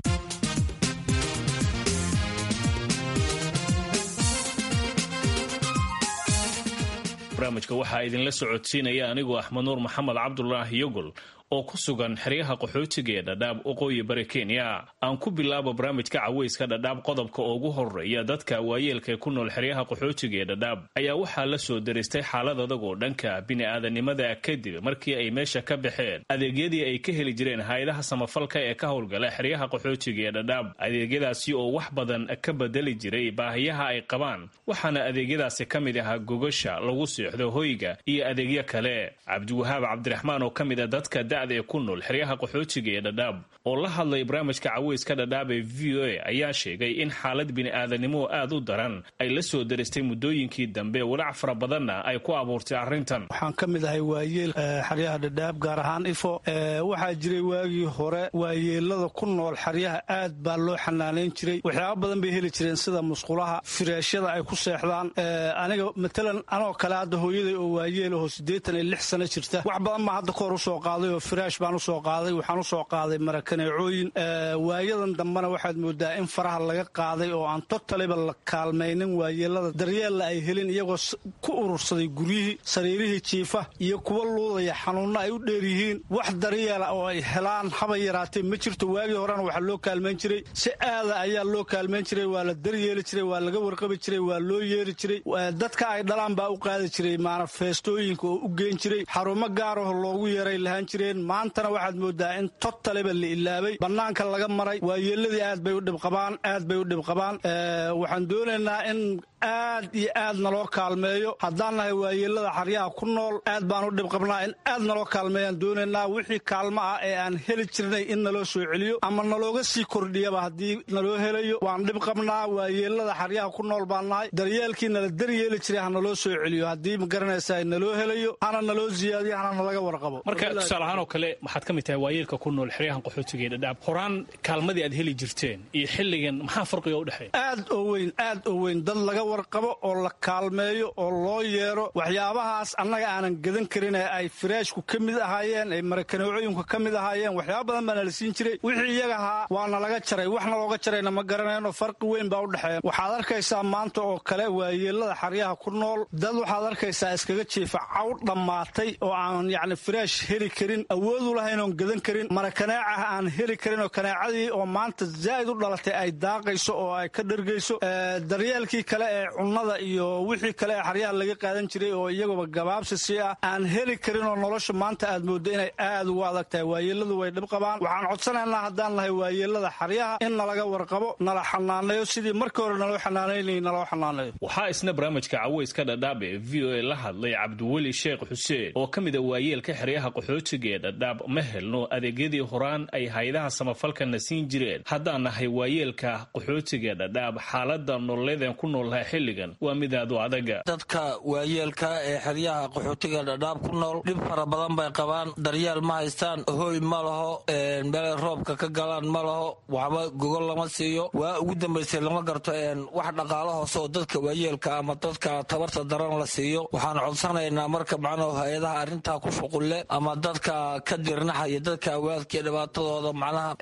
Barnaamijka waxaa idinla socodsiinaya anigoo Axmed Nuur Maxamed Cabdulaahi Yogol oo ku sugan xeryaha qaxootiga ee Dhadhaab, waqooyi bari Kenya. Aan ku bilaabo barnaamijka Caweyska Dhadhaab qodobka ugu horeeya. Dadka waayeelka ee ku nool xeryaha qaxootiga ee Dhadhaab ayaa waxaa la soo daristay xaalad adag oo dhanka bini'aadanimada kadib markii ay meesha ka baxeen adeegyadii ay ka heli jireen hay-adaha samafalka ee ka howlgala xeryaha qaxootiga ee Dhadhaab, adeegyadaasi oo wax badan ka bedeli jiray baahiyaha ay qabaan. Waxaana adeegyadaasi ka mid ahaa gogasha lagu seexdo, hoyga iyo adeegyo kale. Cabdiwahaab Cabdiraxmaan oo ka mid a dadka ee ku nool xeryaha qaxootiga ee Dhadhaab oo la hadlay barnaamijka Caweyska Dhadhaab ee v o a ayaa sheegay in xaalad bini'aadanimo aad u daran ay la soo daristay muddooyinkii dambe, walaac fara badanna ay ku abuurtay arrintan. Waxaan ka mid ahay waayeel xeryaha Dhadhaab, gaar ahaan Ifo. Waxaa jiray waagii hore waayeelada ku nool xeryaha aad baa loo xanaanayn jiray. Waxyaaba badan bay heli jireen, sida musqulaha, fireeshyada ay ku seexdaan. Aniga matalan anoo kale hadda hooyaday oo waayeel aho 86 sano jirta, wax badan baa hadda kahor usoo qaaday oo firaash baan usoo qaaday, waxaan usoo qaaday marakaneecooyin. Waayadan dambena waxaad moodaa in faraha laga qaaday oo aan totaliba la kaalmaynin waayeelada, daryeella ay helin, iyagoo ku urursaday guryihii, sariirihii jiifa iyo kuwa luudaya, xanuunno ay u dheer yihiin. Wax daryeela oo ay helaan haba yaraatee ma jirto. Waagii horena waxaa loo kaalmayn jiray si aada ayaa loo kaalmayn jiray, waa la daryeeli jiray, waa laga warqabi jiray, waa loo yeeri jiray, dadka ay dhalaan baa u qaadi jiray maanafeestooyinka oo u geen jiray, xarumo gaaraho loogu yeeray lahaan jireen. Maantana waxaad moodaa in totaliba la ilaabay, bannaanka laga maray. Waayeeladii aad bay u dhibqabaan, aad bay u dhibqabaan. Waxaan doonaynaa in aad iyo aad naloo kaalmeeyo. Haddaan nahay waayeelada xaryaha ku nool, aad baan u dhibqabnaa. In aad naloo kaalmeeyaan doonaynaa. Wixii kaalmo ah ee aan heli jirnay in naloo soo celiyo ama nalooga sii kordhiyaba haddii naloo helayo. Waan dhibqabnaa, waayeelada xaryaha ku nool baan nahay. Daryeelkii nala daryeeli jiray ha naloo soo celiyo haddii, ma garanaysaa, naloo helayo, hana naloo siyaadiyo, hana nalaga warqabo. Marka tusaale ahaan oo kale waxaad ka mid tahay waayeelka ku nool xeryahan qaxootiga ee Dhadhaab. Horaan kaalmadii aad heli jirteen iyo xilligan maxaa farqiga u dhexeeya? Aad oo weyn, aad oo weyn. Dad laga warqabo oo la kaalmeeyo oo loo yeero waxyaabahaas annaga aanan gadan karin ee ay firaashku ka mid ahaayeen, ay marakaneecooyinku ka mid ahaayeen. Waxyaaba badan baana la siin jiray. Wixii iyaga ahaa waana laga jaray, waxna looga jarayna ma garanayno. Farqi weyn baa u dhexeeya. Waxaad arkaysaa maanta oo kale waayeelada xaryaha ku nool, dad waxaad arkaysaa iskaga jiifa caw dhammaatay oo aan yacni firaash heli karin, awoodu lahayn oon gadan karin, marakaneecah aan heli karin, oo kaneecadii oo maanta zaa'id u dhalatay ay daaqayso oo ay ka dhergayso. Daryeelkii kale ee cunnada iyo wixii kale ee xaryaha laga qaadan jiray oo iyaguba gabaabsi sii ah aan heli karin, oo nolosha maanta aad mooddo inay aad ugu adag tahay. Waayeeladu way dhib qabaan. Waxaan codsanaynaa haddaan nahay waayeelada xaryaha in nalaga warqabo, nala xanaaneeyo sidii markii hore naloo xanaanaynay naloo xanaaneeyo. Waxaa isna barnaamijka caweyska Dhadhaab ee VOA la hadlay Cabdiweli Sheekh Xuseen oo ka mid a waayeelka xeryaha qaxootiga ee Dhadhaab. Ma helno adeegyadii horaan ay hay-adaha samafalkana siin jireen haddaan nahay waayeelka qaxootiga ee Dhadhaab. Xaalada nololeedeen ku noolnahay xilligan waa mid aad u adaga. Dadka waayeelka ee xeryaha qaxootiga Dhadhaab ku nool dhib fara badan bay qabaan. Daryeel ma haystaan, hooy ma laho, meelay roobka ka galaan ma laho, waxba gogol lama siiyo. Waa ugu dambaysay lama garto wax dhaqaalo hoose oo dadka waayeelka ama dadka tabarta daran la siiyo. Waxaan codsanaynaa marka macnaha hay-adaha arrintaa ku shuqulle ama dadka ka dirnaxaya dadka awaadka dhibaatadooda, macnaha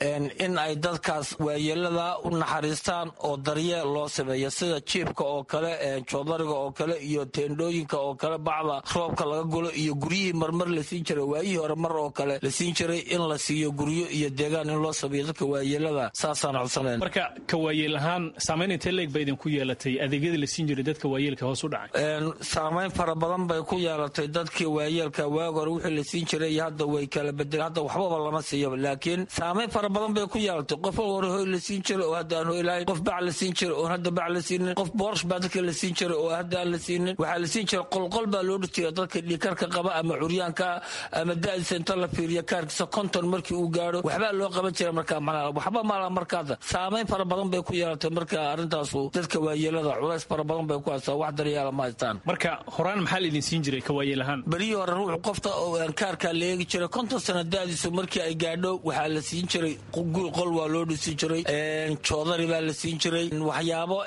in ay dadkaas waayeelada u naxariistaan oo daryeel loo sameeyo, sida jiibka oo kale, joodariga oo kale iyo teendhooyinka oo kale, bacda roobka laga gulo iyo guryihii marmar la siin jiray waayihii hore mar oo kale la siin jiray, in la siiyo guryo iyo deegaan in loo sameeyo dadka waayeelada. Saasaan codsanayna. Marka ka waayeel ahaan saamayn intee leeg ba idinku yeelatay adeegyadii la siin jiray dadka waayeelka hoos u dhacay? Saamayn fara badan bay ku yeelatay dadkii waayeelka. Waag hore wixii la siin jiray iyo hadda way kala bedeleen. Hadda waxbaba lama siiyo, laakiin saamayn fara badan bay ku yeelatay. Qof hore hoy la siin jiray oo hadda aan hoy lahayn, qof bac la siin jiray oo hadda bac la siinin, qof boorsh baa dadka la siin jiray oo hadda aan la siinin. Waxaa la siin jiray qolqol baa loo dhis jiray dadka dhiikarka qaba ama curyaanka ama da'diisa inta la fiiriyo kaarkiisa 50 markii uu gaadho waxbaa loo qaban jiray. Marka macnaha waxba malaha. Markaada saamayn fara badan bay ku yeelatay. Marka arrintaasu dadka waayeelada culays fara badan bay ku haysaa, wax daryeela ma haystaan. Marka horaan maxaa la idin siin jiray ka waayeel ahaan? Berihii hore ruuxu qofta oo kaarkaa la eegi jiray 50 sano da'diisu markii ay gaadho waxaa la siin jiray guri, qol waa loo dhisi jiray, joodari baa la siin jiray, waxyaabo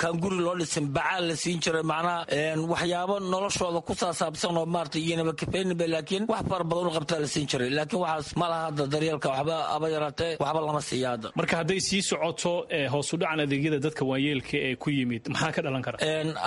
kaan guri loo dhisin bacaa la siin jiray, macnaha waxyaabo noloshooda ku saasaabsan oo maarata iyanaba kafeyninba, laakiin wax fara badan u qabtaa la siin jiray. Laakiin waxaas ma laha hadda, daryeelka waxba aba yaraatee waxba lama siiya hadda. Marka hadday sii socoto hoos u dhacan adeegyada dadka waayeelka ee ku yimid, maxaa ka dhalan kara?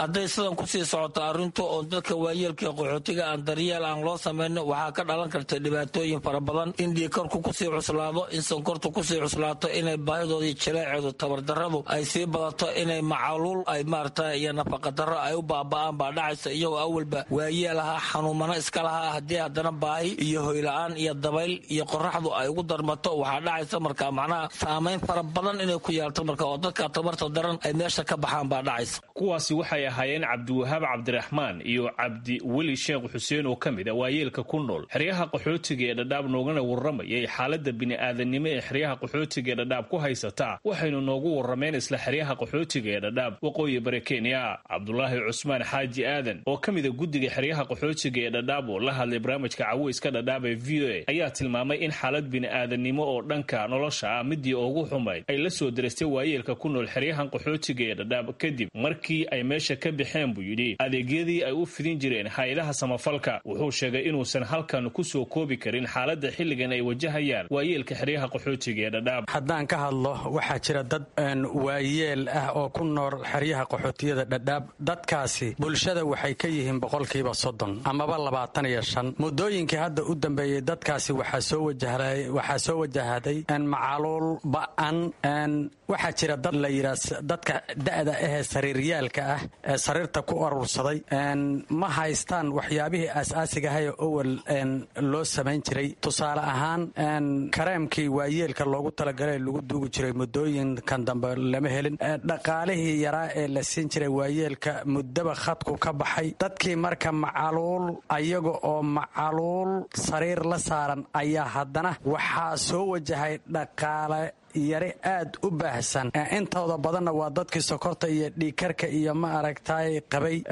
Hadday sidan kusii socoto arrintu oo dadka waayeelka ee qaxootiga aan daryeel aan loo samayno, waxaa ka dhalan karta dhibaatooyin fara badan: in dhiikarku kusii cuslaado, in sonkortu kusii cuslaato, inay baahidoodii jileeceedu tabardarradu ay sii badato, inay macaluul ay maarata iyo nafaqadarro ay u baaba'aan baa dhacaysa. Iyagoo awalba waayeel ahaa, xanuumano iska lahaa, haddii haddana baahi iyo hoyla-aan iyo dabayl iyo qoraxdu ay ugu darmato, waxaa dhacaysa marka macnaha saamayn fara badan inay ku yeelto marka oo dadka tabarta daran ay meesha ka baxaan baa dhacaysa. Kuwaasi waxay ahaayeen Cabdiwahaab Cabdiraxmaan iyo Cabdiweli Sheekh Xuseen oo ka mid a waayeelka ku nool xeryaha qaxootiga ee Dhadhaab, noogana warramayay xaaladda bini'aadanimo ee xeryaha qaxootiga ee Dhadhaab ku haysata. Waxaynu noogu warrameen isla xeryaha qaxootiga ee Dhadhaab, waqooyi bari Kenya. Cabdulaahi Cusmaan Xaaji Aadan oo ka mid a guddiga xeryaha qaxootiga ee Dhadhaab oo la hadlay barnaamijka caweyska Dhadhaab ee VOA ayaa tilmaamay in xaalad bini'aadanimo oo dhanka nolosha ah midii ugu xumayd ay la soo dirastay waayeelka ku nool xeryahan qaxootiga ee Dhadhaab, kadib markii ay meesha ka baxeen buu yidhi adeegyadii ay u fidin jireen hay-adaha samafalka. Wuxuu sheegay inuusan halkan ku soo koobi karin xaaladda xilligan ay wajahayaan waayeelka xeryaha qaxootiga ee Dhadhaab. Haddaan ka hadlo, waxaa jira dad waayeel ah oo ku nool xeryaha qaxootiyada Dhadhaab. Dadkaasi bulshada waxay ka yihiin 30% amaba 25. Muddooyinkii hadda u dambeeyey dadkaasi waxaa soo wajahday macaluul ba'an. Waxaa jira dad la yidhaa dadka da'da ahee sariiryaalka ah ee sariirta ku urursaday ma haystaan waxyaabihii aas-aasiga ahaye owal loo samayn jiray. Tusaale ahaan, kareemkii waayeelka loogu talagalay lagu duugi jiray muddooyinkan dambe lama helin. Dhaqaalihii yaraa ee la siin jiray waayeelka muddaba khadku ka baxay. Dadkii marka macaluul, ayaga oo macaluul sariir la saaran ayaa haddana waxaa soo wajahay dhaqaale yari aad u baahsan. Intooda badanna waa dadkii sokorta iyo dhiigkarka iyo ma aragtaay qabay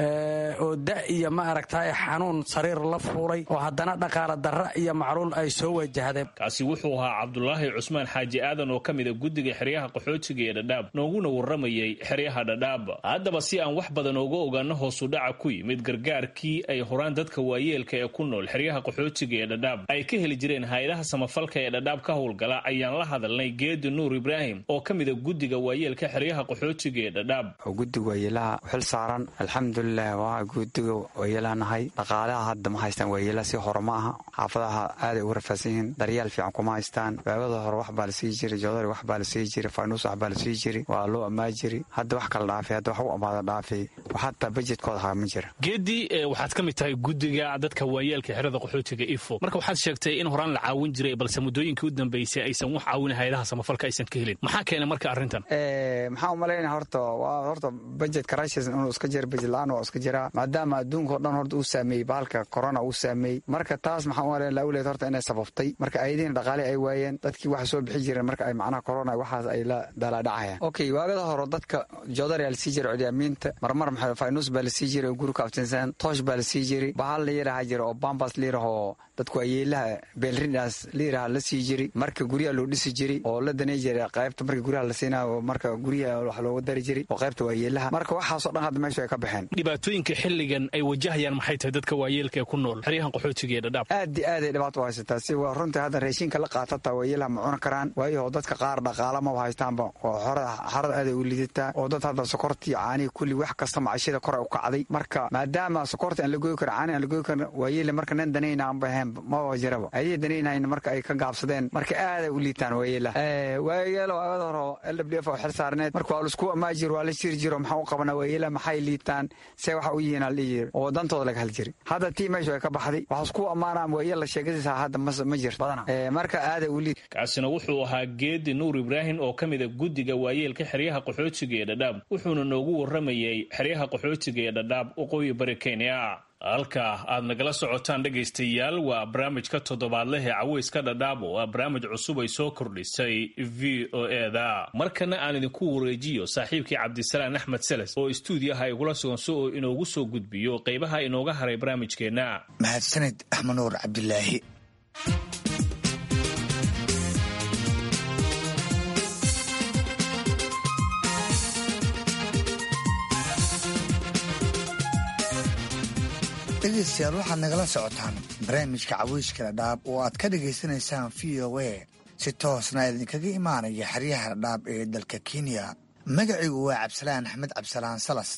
oo da iyo ma aragtaay xanuun sariir la fuulay oo haddana dhaqaala darra iyo macluul ay soo wajahdeen. Kaasi wuxuu ahaa Cabdulaahi Cusmaan Xaaji Aadan oo ka mida guddiga xeryaha qaxootiga ee Dhadhaab, nooguna warramayay xeryaha Dhadhaab. Haddaba si aan wax badan ooga ogaano hoosudhaca ku yimid gargaarkii ay horaan dadka waayeelka ee ku nool xeryaha qaxootiga ee Dhadhaab ay ka heli jireen hay-adaha samafalka ee Dhadhaab ka howlgala, ayaan la hadalnay Geedi Nuur Ibraahim oo ka mida guddiga waayeelka xeryaha qaxootiga ee Dhadhaab. Guddiga waayeelaha xil saaran, alxamdulilah, waa guddiga waayeelaha nahay. Dhaqaalaha hadda ma haystaan waayeelaha, si hore ma aha. Xaafadaha aaday ugu rafaadsan yihiin, daryaal fiican kuma haystaan. Waagada hore wax baa la sii jiray, joodari wax baa la sii jiray, faynuus wax baa la sii jiray, waa loo ammaa jiray. Hadda wax kala dhaafay, hadda wax u amaada dhaafay, hataa bajetkooda haa ma jira. Geedi, waxaad ka mid tahay guddiga dadka waayeelka xerada qaxootiga Ifo. Marka waxaad sheegtay in horaan la caawin jiray, balse muddooyinkii u dambeysay aysan wax caawin hay-adaha samafalka aysan ka helin. Maxaa keenay marka arrintan? Maxaa umalaynaya, horta waa horta budget crisis inuu iska jira, budget la-aan waa iska jiraa, maadaama adduunka o dhan horta uu saameeyey bahalka corona uu saameeyey. Marka taas maxaa umalaynaya lawleed horta inay sababtay. Marka ayadiina dhaqaale ay waayeen, dadkii waxa soo bixi jireen marka ay macnaha corona waxaas ay la daalaadhacayaan. Okay, waagada hore dadka joodari la sii jiray, cudyaamiinta marmar maxaa faynuus baa la sii jiray oo guri ka aftinsan, toosh baa la sii jiray, bahal la yiraha jira oo bambas la yiraho dadku ayeelaha beelrindaas la yiraha la sii jiray. Marka guryaha loo dhisi jiray oo la danay jiray qaybta marka guryaha la siinayo, marka guryaha wax looga dari jiray oo qaybta waayeelaha. Marka waxaasoo dhan hadda meesha ay ka baxeen. Dhibaatooyinka xilligan ay wajahayaan maxay tahay dadka waayeelka ee ku nool xeryahan qaxootiga ee Dhadhaab? Aad iyo aad ay dhibaato u haysataa. Si waa runtii hadda raashinka la qaatata waayeelaha ma cuni karaan, waayo dadka qaar dhaqaala maba haystaanba oo xorada aad ay u lidataa, oo dad hadda sokortii, caanihi, kulli wax kasta macashida kor ay u kacday. Marka maadaama sokorta aan la goyi karin, caanihi aan la goyi karin, waayeele marka nin danayna aanba ahayn maba jiraba, ayay danaynayn marka ay ka gaabsadeen. Marka aaday u liitaan waayeelaha. Waayeelo waagada hore LWF oo xil saarneed, marka waa laisku amaa jiro, waa la jiri jiro, maxaa u qabanaa waayeelaha, maxay liitaan, see waxa u yihiin la jiri oo dantooda laga hal jiri. Hadda tii meeshu ay ka baxday, waxaa isku ammaanaan waayeel la sheegadiisa hadda ma jirto badana. Marka aaday u liit. Kaasina wuxuu ahaa Geedi Nuur Ibraahim oo ka mida guddiga waayeelka xeryaha qaxootiga ee Dhadhaab, wuxuuna noogu warramayay xeryaha qaxootiga ee Dhadhaab, waqooyi bari Kenya. Halka aad nagala socotaan, dhegaystayaal, waa barnaamijka toddobaadleh ee Caweyska Dhadhaab oo ah barnaamij cusub ay soo kordhisay VOA-da. Markana aan idinku wareejiyo saaxiibkii Cabdisalaan Axmed Seles oo istuudiyaha igula sugan si oo inoogu soo gudbiyo qaybaha inooga haray barnaamijkeenna. Mahadsaned, Axmed Nuur Cabdilaahi. Dhegeystayaal, waxaad nagala socotaan barnaamijka Caweyska Dhadhaab oo aad ka dhagaysanaysaan VOA, si toosna idinkaga imaanaya xeryaha Dhadhaab ee dalka Kenya. Magacigu waa Cabdisalaan Axmed Cabdisalaan Salas.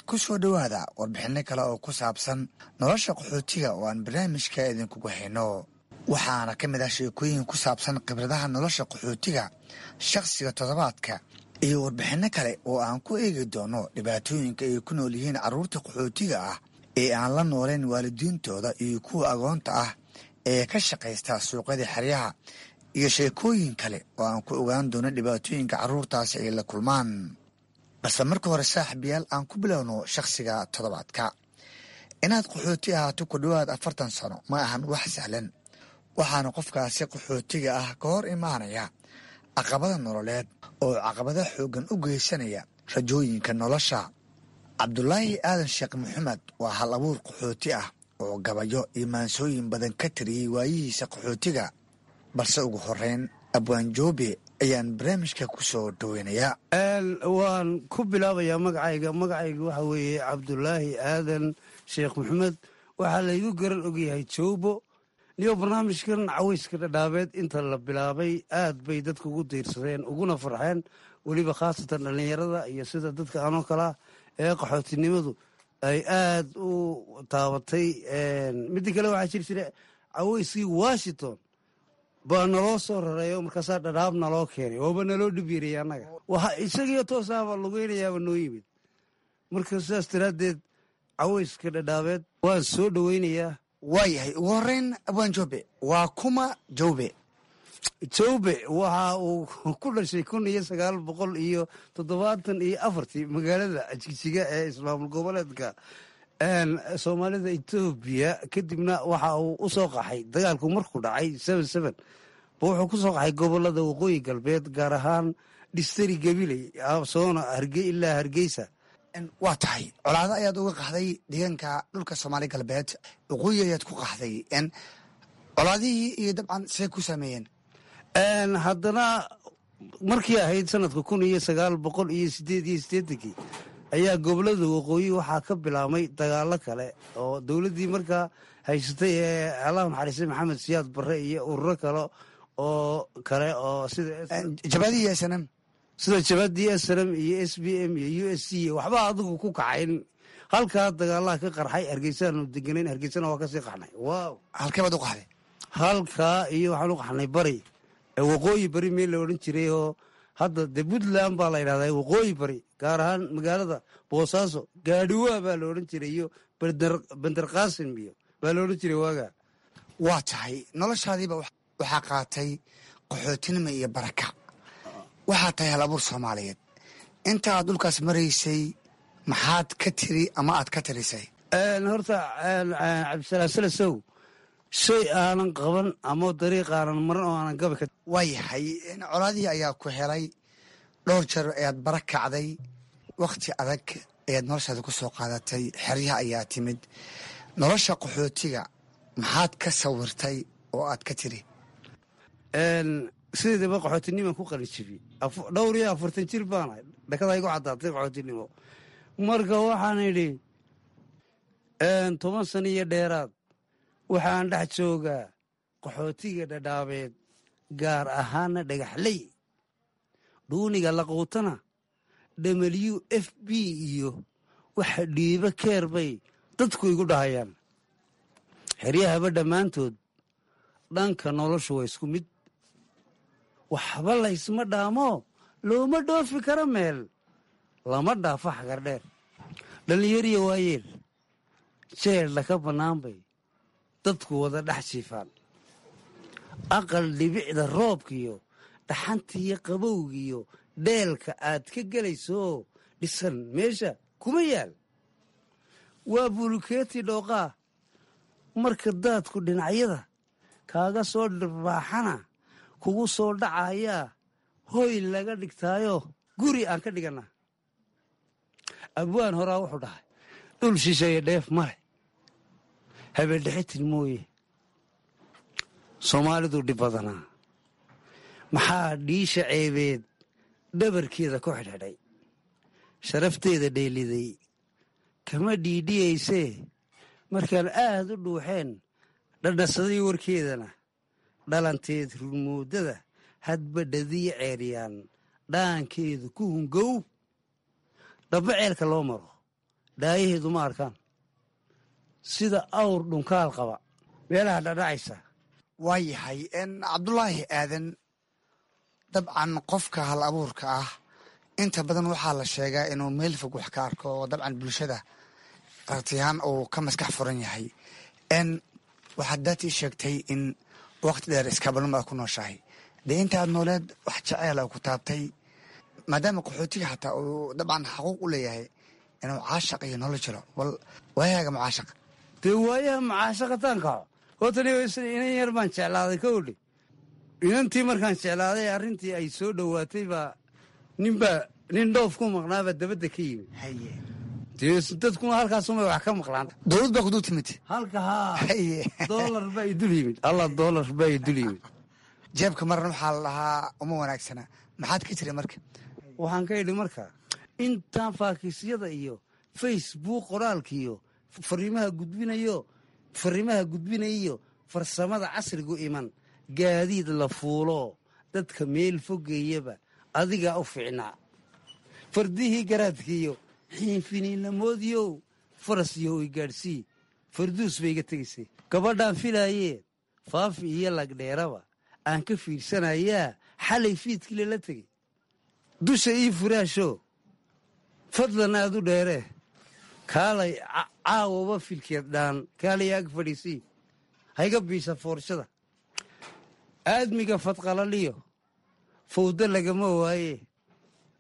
Ku soo dhowaada warbixinno kale oo ku saabsan nolosha qaxootiga oo aan barnaamijka idinkugu hayno. Waxaana ka mid ah sheekooyin ku saabsan khibradaha nolosha qaxootiga, shakhsiga toddobaadka iyo warbixinno kale oo aan ku eegi doono dhibaatooyinka ay ku nool yihiin carruurta qaxootiga ah ee aan la nooleyn waalidiintooda iyo kuwa agoonta ah ee ka shaqaysta suuqyada xeryaha, iyo sheekooyin kale oo aan ku ogaan doono dhibaatooyinka carruurtaasi ay la kulmaan. Balse marka hore, saaxiibayaal, aan ku bilowno shakhsiga toddobaadka. Inaad qaxooti ahaato ku dhowaad 40 sano ma ahan wax sahlan, waxaana qofkaasi qaxootiga ah ka hor imaanaya caqabada nololeed oo caqabada xooggan u geysanaya rajooyinka nolosha. Cabdulaahi Aadan Sheekh Maxamed waa hal abuur qaxooti ah oo gabayo iyo maansooyin badan ka tiriyey waayihiisa qaxootiga. Balse ugu horeyn, Abwaan Joobe ayaan barnaamijka ku soo dhoweynayaa. Waan ku bilaabayaa magacayga. Magacayga waxa weeye Cabdulaahi Aadan Sheekh Maxamed, waxaa laygu garan ogyahay Joobo. Niyo barnaamijkan Caweyska Dhadhaabeed inta la bilaabay aad bay dadku ugu diirsadeen uguna farxeen, weliba khaasatan dhallinyarada iyo sida dadka anoo kalaa ee qaxootinimadu ay aad u taabatay. Midda kale, waxaa jiri jira caweyskii Washington baa naloo soo rareeyo, markaasaa Dhadhaab naloo keenay, waaba naloo dhibiiraya annaga, waxa isagiyo toosaaba lugeynayaaba noo yimid. Marka sidaas daraaddeed Caweyska Dhadhaabeed waan soo dhoweynayaa. Waayahay, ugu horeyn, Abwaan Joobe, waa kuma Joobe? Joobe waxa uu ku dhashay 1974-tii magaalada Jigjiga ee ismaamul goboleedka Soomaalida Etoobiya. Kadibna waxa uu u soo qaxay dagaalku markuu dhacay 7-7. Ba wuxuu ku soo qaxay gobolada Waqooyi Galbeed, gaar ahaan Dhistari, Gabiley, Soona ilaa Hargeysa. Waa tahay, colaado ayaad uga qaxday deegaanka dhulka Soomaali Galbeed, waqooyi ayaad ku qaxday. Colaadihii iyo dabcan see ku saameeyeen? Haddana markii ahayd sanadka 1988-kii ayaa gobolada waqooyi waxaa ka bilaabmay dagaalo kale oo dowladdii markaa haysatay ee Allah naxariistay Maxamed Siyaad Barre iyo ururo kale oo kale oo sida Jabhadihii SNM. Sida jabhadii SNM iyo SPM iyo USC, waxba adigu ku kacayn. Halkaa dagaalaha ka qarxay. Hargeysaanu deganayn, Hargeysana waa kasii qaxnay. Wow. Halkee baad u qaxday? Halkaa iyo waxaan u qaxnay bari, waqooyi bari meel la odhan jiray oo hadda de Puntland baa la yidhahdaa. Waqooyi bari, gaar ahaan magaalada Boosaaso, Gaadhiwaa baa la odhan jiray iyo Bender Qaasim iyo baa la odhan jiray waagaa. Waa tahay, noloshaadiiba waxaa qaatay qaxootinima iyo barakac. Waxaa tahay hal abuur Soomaaliyeed. Inta aad dhulkaas maraysay maxaad ka tiri ama aad ka tirisay? Horta Cabdisalaam Salasow, shay aanan qaban ama dariiq aanan maran oo aanan gabi ka Waa yahay, colaadihii ayaa ku helay, dhowr jeer ayaad bara kacday, wakhti adag ayaad noloshaada ku soo qaadatay, xeryaha ayaa timid. Nolosha qaxootiga maxaad ka sawirtay oo aad ka tiri? Sideedaba qaxootinimaan ku qalin jibiyey dhowr iyo 40 jir baanahay. Dhakada igu caddaatay qaxootinimo. Marka waxaan idhi, 10 sano iyo dheeraad waxaan dhex joogaa qaxootiga Dhadhaabeed, gaar ahaana Dhagaxley. Dhuuniga laquutana WFP iyo waxa dhiibo keer bay dadku igu dhahayaan. Xeryahaba dhammaantood dhanka noloshu waa isku mid, waxba laysma dhaamo, looma dhoofi karo meel, lama dhaafo xagardheer. Dhallinyariya waayeel jeeldha ka bannaan bay dadku wada dhex jiifaan. Aqal dhibicda roobkiyo dhaxantiiyo qabowgiyo dheelka aad ka gelaysooo dhisan meesha kuma yaal. Waa bulukeeti dhooqaa, marka daadku dhinacyada kaaga soo dhirbaaxana kugu soo dhacayaa. Hoy laga dhigtaayo guri aan ka dhigannaa. Abwaan horaa wuxuu dhahay, dhul shisheeye dheef male habeendhexitin mooye. Soomaalidu dhib badanaa, maxaa dhiisha ceebeed dhabarkeeda ku xidhxidhay? Sharafteeda dheeliday kama dhiidhiyaysee. Markaan aad u dhuuxeen dhadhasaday warkeedana, dhalanteed rurmoodada hadba dhadiya ceeryaan dhaankeedu ku hungow. Dhabba ceelka loo maro dhaayaheedu ma arkaan, sida awr dhunkaal qaba meelaha dhadhacaysa. Waa yahay, Cabdulaahi Aadan, dabcan qofka hal abuurka ah inta badan waxaa la sheegaa inuu meel fog wax ka arko oo dabcan bulshada aragtiyahaan uu ka maskax furan yahay. Waxaad daatii sheegtay in waqti dheer iskabalnimo aad ku nooshahay. Dee intaad nooleed wax jaceyl a ku taabtay, maadaama qaxootiga xataa uu dabcan xaquuq u leeyahay inuu caashaq iyo nolol jiro, bal waayahaaga mucaashaq? Dee waayaha mucaashaqataan kaco. Horta inan yar baan jeclaaday ka odhi. Inantii markaan jeclaaday, arrintii ay soo dhowaatay baa ninbaa nin dhoof ku maqnaabaa dabadda ka yimid. Dee dadkuna halkaasumay wax ka maqlaan. Dowlad baa kudul timid. Halka haa, doolar baa idul yimid, Allah, doolar baa idul yimid. Jeebka marna waxaa la dhahaa uma wanaagsana. Maxaad ka jiray marka? Waxaan ka idhi marka, intaan faakiisyada iyo Facebook qoraalkiiyo fariimaha gudbinayo farsamada casrigu iman, gaadiid la fuulo dadka meel fogeeyaba adigaa u fiicnaa. Fardihii garaadkiiyo xiinfiniinamoodiyow faras iyo i gaadhsii farduus bay iga tegaysay. Gabadhaan filaayee Faafi iyo Lagdheeraba aan ka fiirsanayaa xalay fiidkii lala tegey. Dusha ii furaasho fadlan aad u dheeree, kaalay caawaba filkeed dhaan, kaalay ag fadhiisii, hayga biisa foorshada. Aadmiga fadqalaliyo fawdo lagama waaye,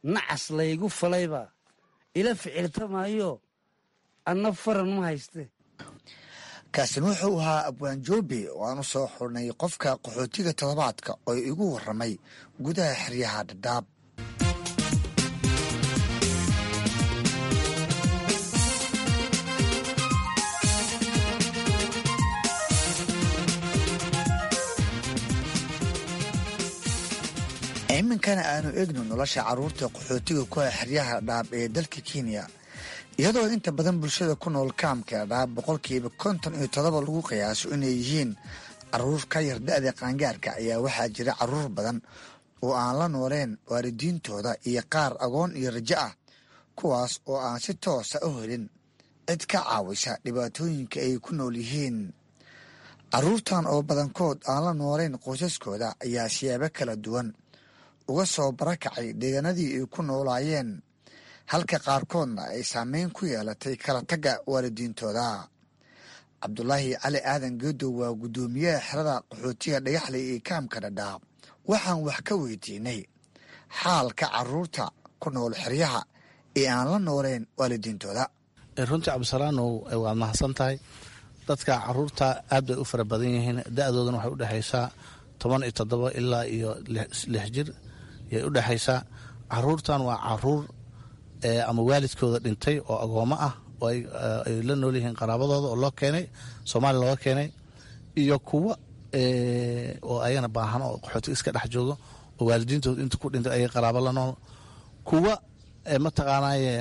nacas laygu falaybaa ila ficiltamaayo, anna faran ma hayste. Kaasina wuxuu ahaa Abwaan Joobe oo aan u soo xurnay qofka qaxootiga toddobaadka oo igu warramay gudaha xeryaha Dhadhaab. Iminkana aanu eegno nolosha carruurta qaxootiga ku ah xeryaha Dhadhaab ee dalka Kenya, iyadoo inta badan bulshada ku nool kaamka Dhadhaab 57% lagu qiyaaso inay yihiin caruur ka yar da-da qaangaarka, ayaa waxaa jira caruur badan oo aan la nooleen waalidiintooda iyo qaar agoon iyo rajo ah, kuwaas oo aan si toosa u helin cid ka caawisa dhibaatooyinka ay ku nool yihiin. Caruurtan oo badankood aan la nooleyn qoysaskooda ayaa siyaabo kala duwan uga soo barakacay deegaanadii ay ku noolaayeen, halka qaarkoodna ay saameyn ku yeelatay kala tagga waalidiintooda. Cabdulaahi Cali Aadan Geedow waa guddoomiyaha xerada qaxootiga Dhagaxley ee kaamka Dhadhaab. Waxaan wax ka weydiinay xaalka caruurta ku nool xeryaha ee aan la nooleyn waalidiintooda. Runtii Cabdisalaanow, waad mahadsan tahay. Dadka caruurta aad bay u fara badan yihiin, da-doodana waxay udhexaysaa 17 ilaa iyo 6 jir yay u dhexaysaa. Caruurtan waa caruur ama waalidkooda dhintay oo agoomo ah oo ay la nool yihiin qaraabadooda oo loo keenay Soomaaliya looga keenay, iyo kuwa oo ayagana baahan oo qaxootiga iska dhex joogo oo waalidiintooda inta ku dhintay ayay qaraabo la nool, kuwa mataqaanaaye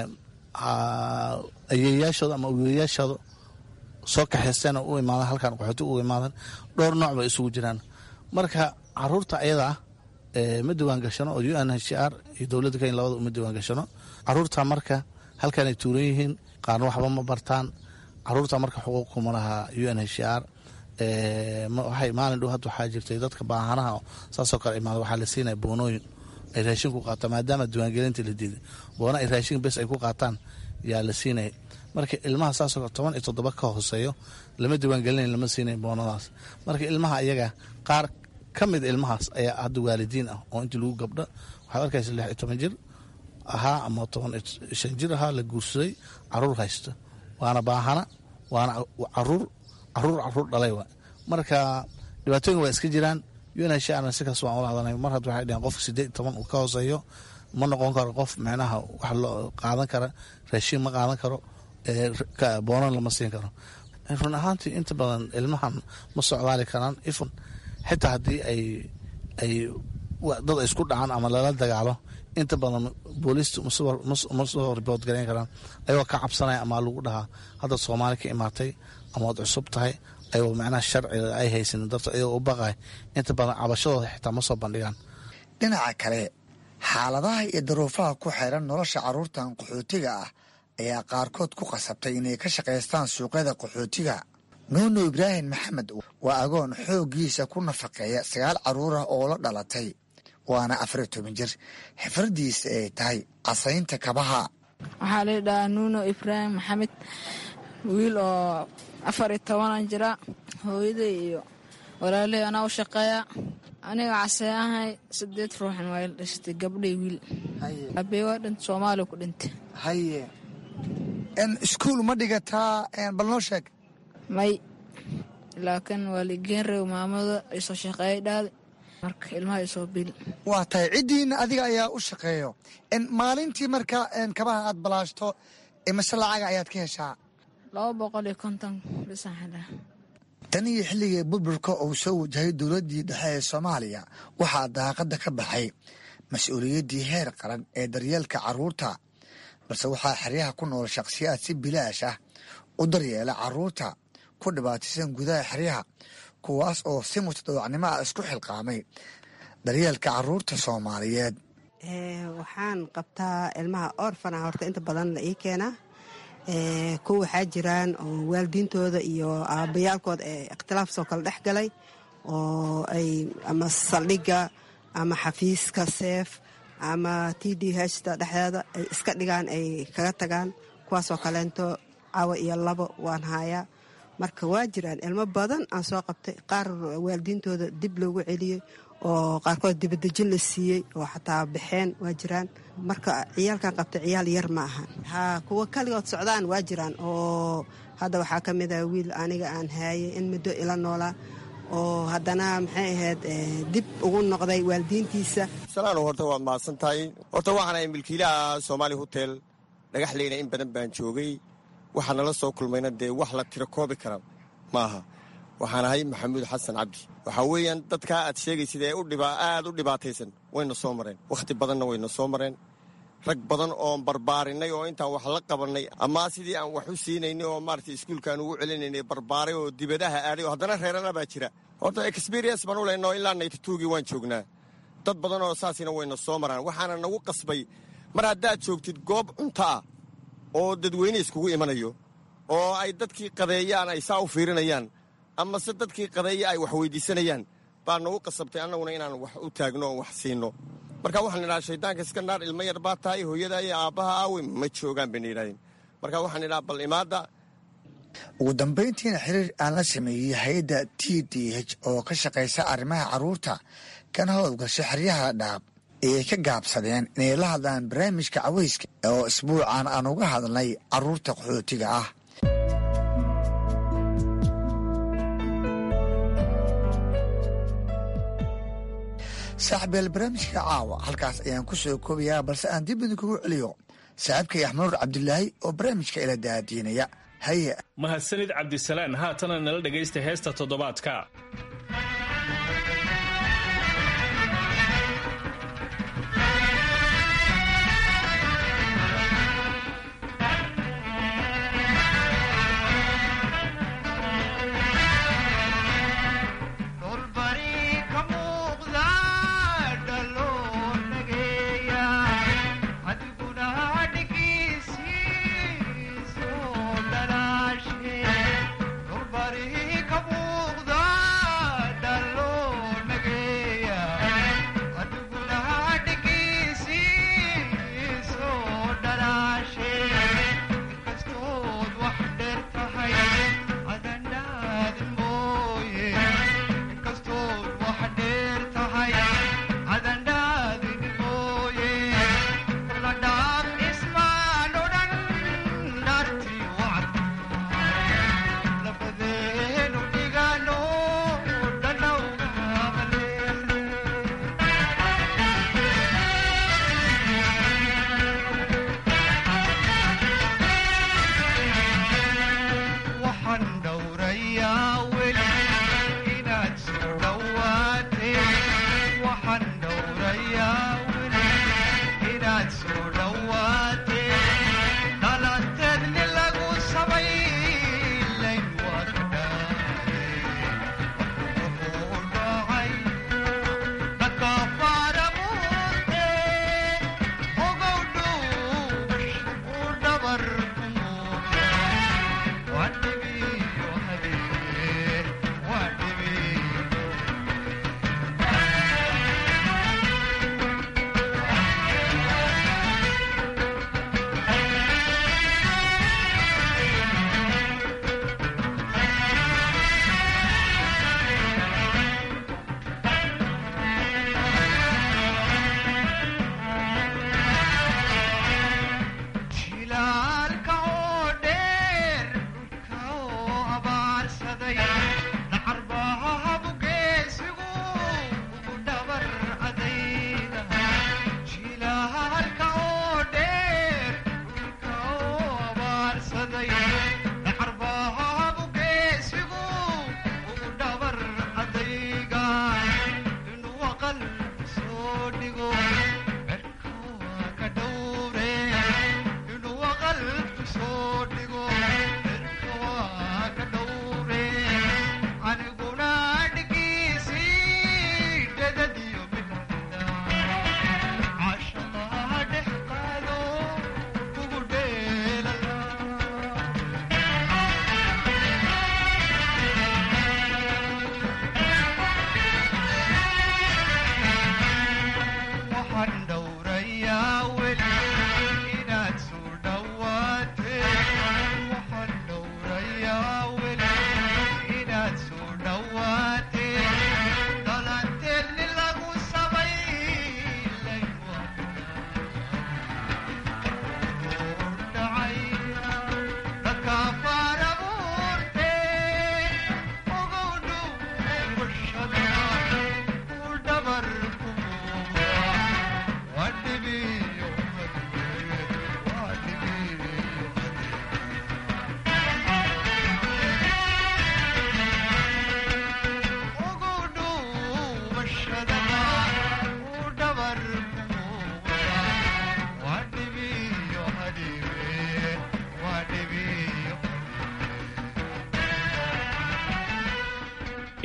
ayeeyaashooda ama aweeyaashooda soo kaxaysteen oo u imaadan halkan qaxootiga uga imaadan. Dhowr nooc bay isugu jiraan. Marka caruurta ayada ah ma diwaan gashano oo UNHCR iyo dowladda Kenya labada uma diwaan gashano caruurta. Marka halkanay tuuran yihiin, qaarna waxba ma bartaan. Caruurta marka xuquuq kuma laha UNHCR. Waxay maalin dhow hadda waxaa jirtay dadka baahanaha saasoo kale imaada waxaa la siinaya boonooyin ay raashin ku qaataan, maadaama diiwaangelinta la diiday, boona ay raashin bes ay ku qaataan yaa la siinaya. Marka ilmaha saasoo kale 17 ka hooseeyo lama diiwaangelinayo, lama siinayo boonadaas. Marka ilmaha iyaga qaar ka mid ilmahaas ayaa hadda waalidiin ah oo intii lagu gabdho waxaad arkaysa 16 jir ahaa ama 15 jir ahaa la guursaday, caruur haysto, waana baahana, waana caruur caruur caruur dhalay wa. Marka dhibaatooyin waa iska jiraan. UNHCR si kaas waan ula hadalnay. Mar hadda waxay dhaheen qofka 18 uu ka hooseeyo ma noqon karo qof micnaha wax loo qaadan kara, raashin ma qaadan karo, boonan lama siin karo. Run ahaantii inta badan ilmahan ma socdaali karaan ifun, xitaa haddii ay dad ay isku dhacaan ama lala dagaalo, inta badan booliistu ma soo ribood garayn karaan, ayagoo ka cabsanaya ama lagu dhahaa hadda Soomaali ka imaatay ama waad cusub tahay, ayagoo macnaha sharciga ay haysanin darto, ayagoo u baqay inta badan cabashadooda xitaa ma soo bandhigaan. Dhinaca kale, xaaladaha iyo daruufaha ku xeeran nolosha carruurtan qaxootiga ah ayaa qaarkood ku qasabtay inay ka shaqaystaan suuqyada qaxootiga. Nuunu Ibraahim Maxamed waa agoon xooggiisa ku nafaqeeya 9 carruur ah oo la dhalatay, waana 14 jir, xifradiisa ay tahay casaynta kabaha. Waxaa la dhahaa Nuuno Ibraahim Maxamed, wiil oo 14an jira. Hooyaday iyo walaaley anaa u shaqeeya. Aniga caseeahay, 8 ruuxan waa ila dhashatay, gabdhay wiil. Aabey waa dhintay, Soomaaliya ku dhintay. Haye, iskuul ma dhigataa? Bal noo sheeg. May, laakiin waa liigeen reeb, maamada isoo shaqeeyay dhaada, marka ilmaha isoo bil. Waa tahay, ciddiina adiga ayaa u shaqeeyo maalintii. Marka kabaha aad balaashto imase lacaga ayaad ka heshaa? 250 bisaan helaa. Tan iyo xilligii burburka uu soo wajahay dowladdii dhexe ee Soomaaliya, waxaa daaqadda ka baxay mas-uuliyaddii heer qaran ee daryeelka carruurta, balse waxaa xeryaha ku nool shakhsiyaad si bilaash ah u daryeela carruurta ku dhibaataysan gudaha xeryaha, kuwaas oo si mutadawacnimo ah isku xilqaamay daryeelka carruurta Soomaaliyeed. Waxaan qabtaa ilmaha orfana horta inta badan la ii keenaa. Kuwa waxaa jiraan oo waalidiintooda iyo aabbayaalkooda ee ikhtilaaf soo kala dhex galay oo ay ama saldhigga ama xafiiska seef ama t d hta dhexdeeda ay iska dhigaan, ay kaga tagaan, kuwaasoo kaleento cawa iyo labo waan haayaa. Marka waa jiraan ilmo badan aan soo qabtay, qaar waalidiintooda dib loogu celiyey. oo qaarkood dibadejin la siiyey oo xataa baxeen waa jiraan. Marka ciyaalkan qabta ciyaal yar ma ahan. Haa, kuwa kaligood socdaan waa jiraan, oo hadda waxaa ka mid ah wiil aniga aan haayay in muddo ila noolaa oo haddana maxay ahayd dib ugu noqday waalidiintiisa. Salaano, horta waad mahadsan tahay. Horta waxaan ahay milkiilaha Soomaali Hotel Dhagaxleyna. In badan baan joogay, waxaa nala soo kulmayna dee wax la tiro koobi kara maaha. Waxaan ahay Maxamuud Xasan Cabdi. Waxaa weeyaan dadkaa aad sheegaysid ee aad u dhibaataysan wayna soo mareen, wakhti badanna wayna soo mareen. Rag badan oon barbaarinay oo intaan wax la qabannay ama sidii aan wax u siinaynay oo maaragtay iskuulkaan ugu celinaynay barbaaray oo dibadaha aaday oo haddana reerana baa jira. Horta experience baan u leynoo, ilaa 92-gii waan joognaa. Dad badan oo saasina wayna soo maraan. Waxaana nagu qasbay, mar haddaad joogtid goob cunto ah oo dadweyne iskugu imanayo oo ay dadkii qadeeyaan ay saa u fiirinayaan ama se dadkii qadeeya ay wax weydiisanayaan, baa nagu qasabtay annaguna inaan wax u taagno oo wax siino. Marka waxaan idhaha, shaydaanka iska naar, ilmo yar baa tahay, hooyada iyo aabbaha aawe? Ma joogaan bayna yidhahdeen. Marka waxaan idhaha, bal imaadda. Ugu dambayntiina, xiriir aan la sameeyey hay-adda TDH oo ka shaqaysa arrimaha carruurta kana howlgasha xeryaha Dhadhaab ayay ka gaabsadeen inay la hadlaan barnaamijka caweyska oo isbuucan aan uga hadlnay carruurta qaxootiga ah. Saaxiibeel, barnaamijka caawa halkaas ayaan ku soo koobayaa, balse aan dib idinkugu celiyo saaxiibkay Axmanuur Cabdilaahi oo barnaamijka ila daadiinaya. Haye. Mahadsanid, Cabdisalaan. Haatana nala dhegaysta heesta toddobaadka. Adiguna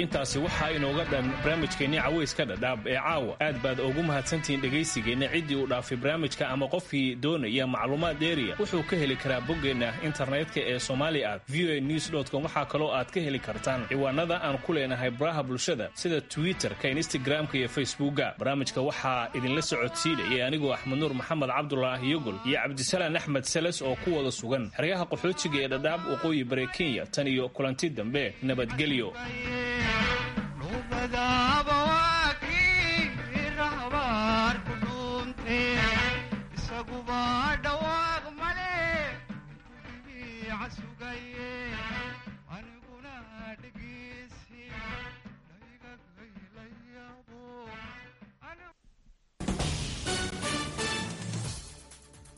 Intaasi waxaa inooga dhan barnaamijkeennii Caweyska Dhadhaab ee caawa. Aad baad ugu mahadsantihiin dhegaysigeenna. Ciddii uu dhaafay barnaamijka ama qofkii doonaya macluumaad dheeriya wuxuu ka heli karaa boggeenna internetka ee somali at voanews.com. Waxaa kaloo aad ka heli kartaan ciwaanada aan ku leenahay baraha bulshada sida Twitterka, Instagramka iyo Facebooka. Barnaamijka waxaa idinla socodsiinayay anigoo Axmed Nuur Maxamed Cabdulaahi Yogol iyo Cabdisalaan Axmed Seles oo ku wada sugan xeryaha qaxootiga ee Dhadhaab, waqooyi bare Kenya. Tan iyo kulanti dambe, nabadgelyo. Isaguba dhawaaq male, sugaye.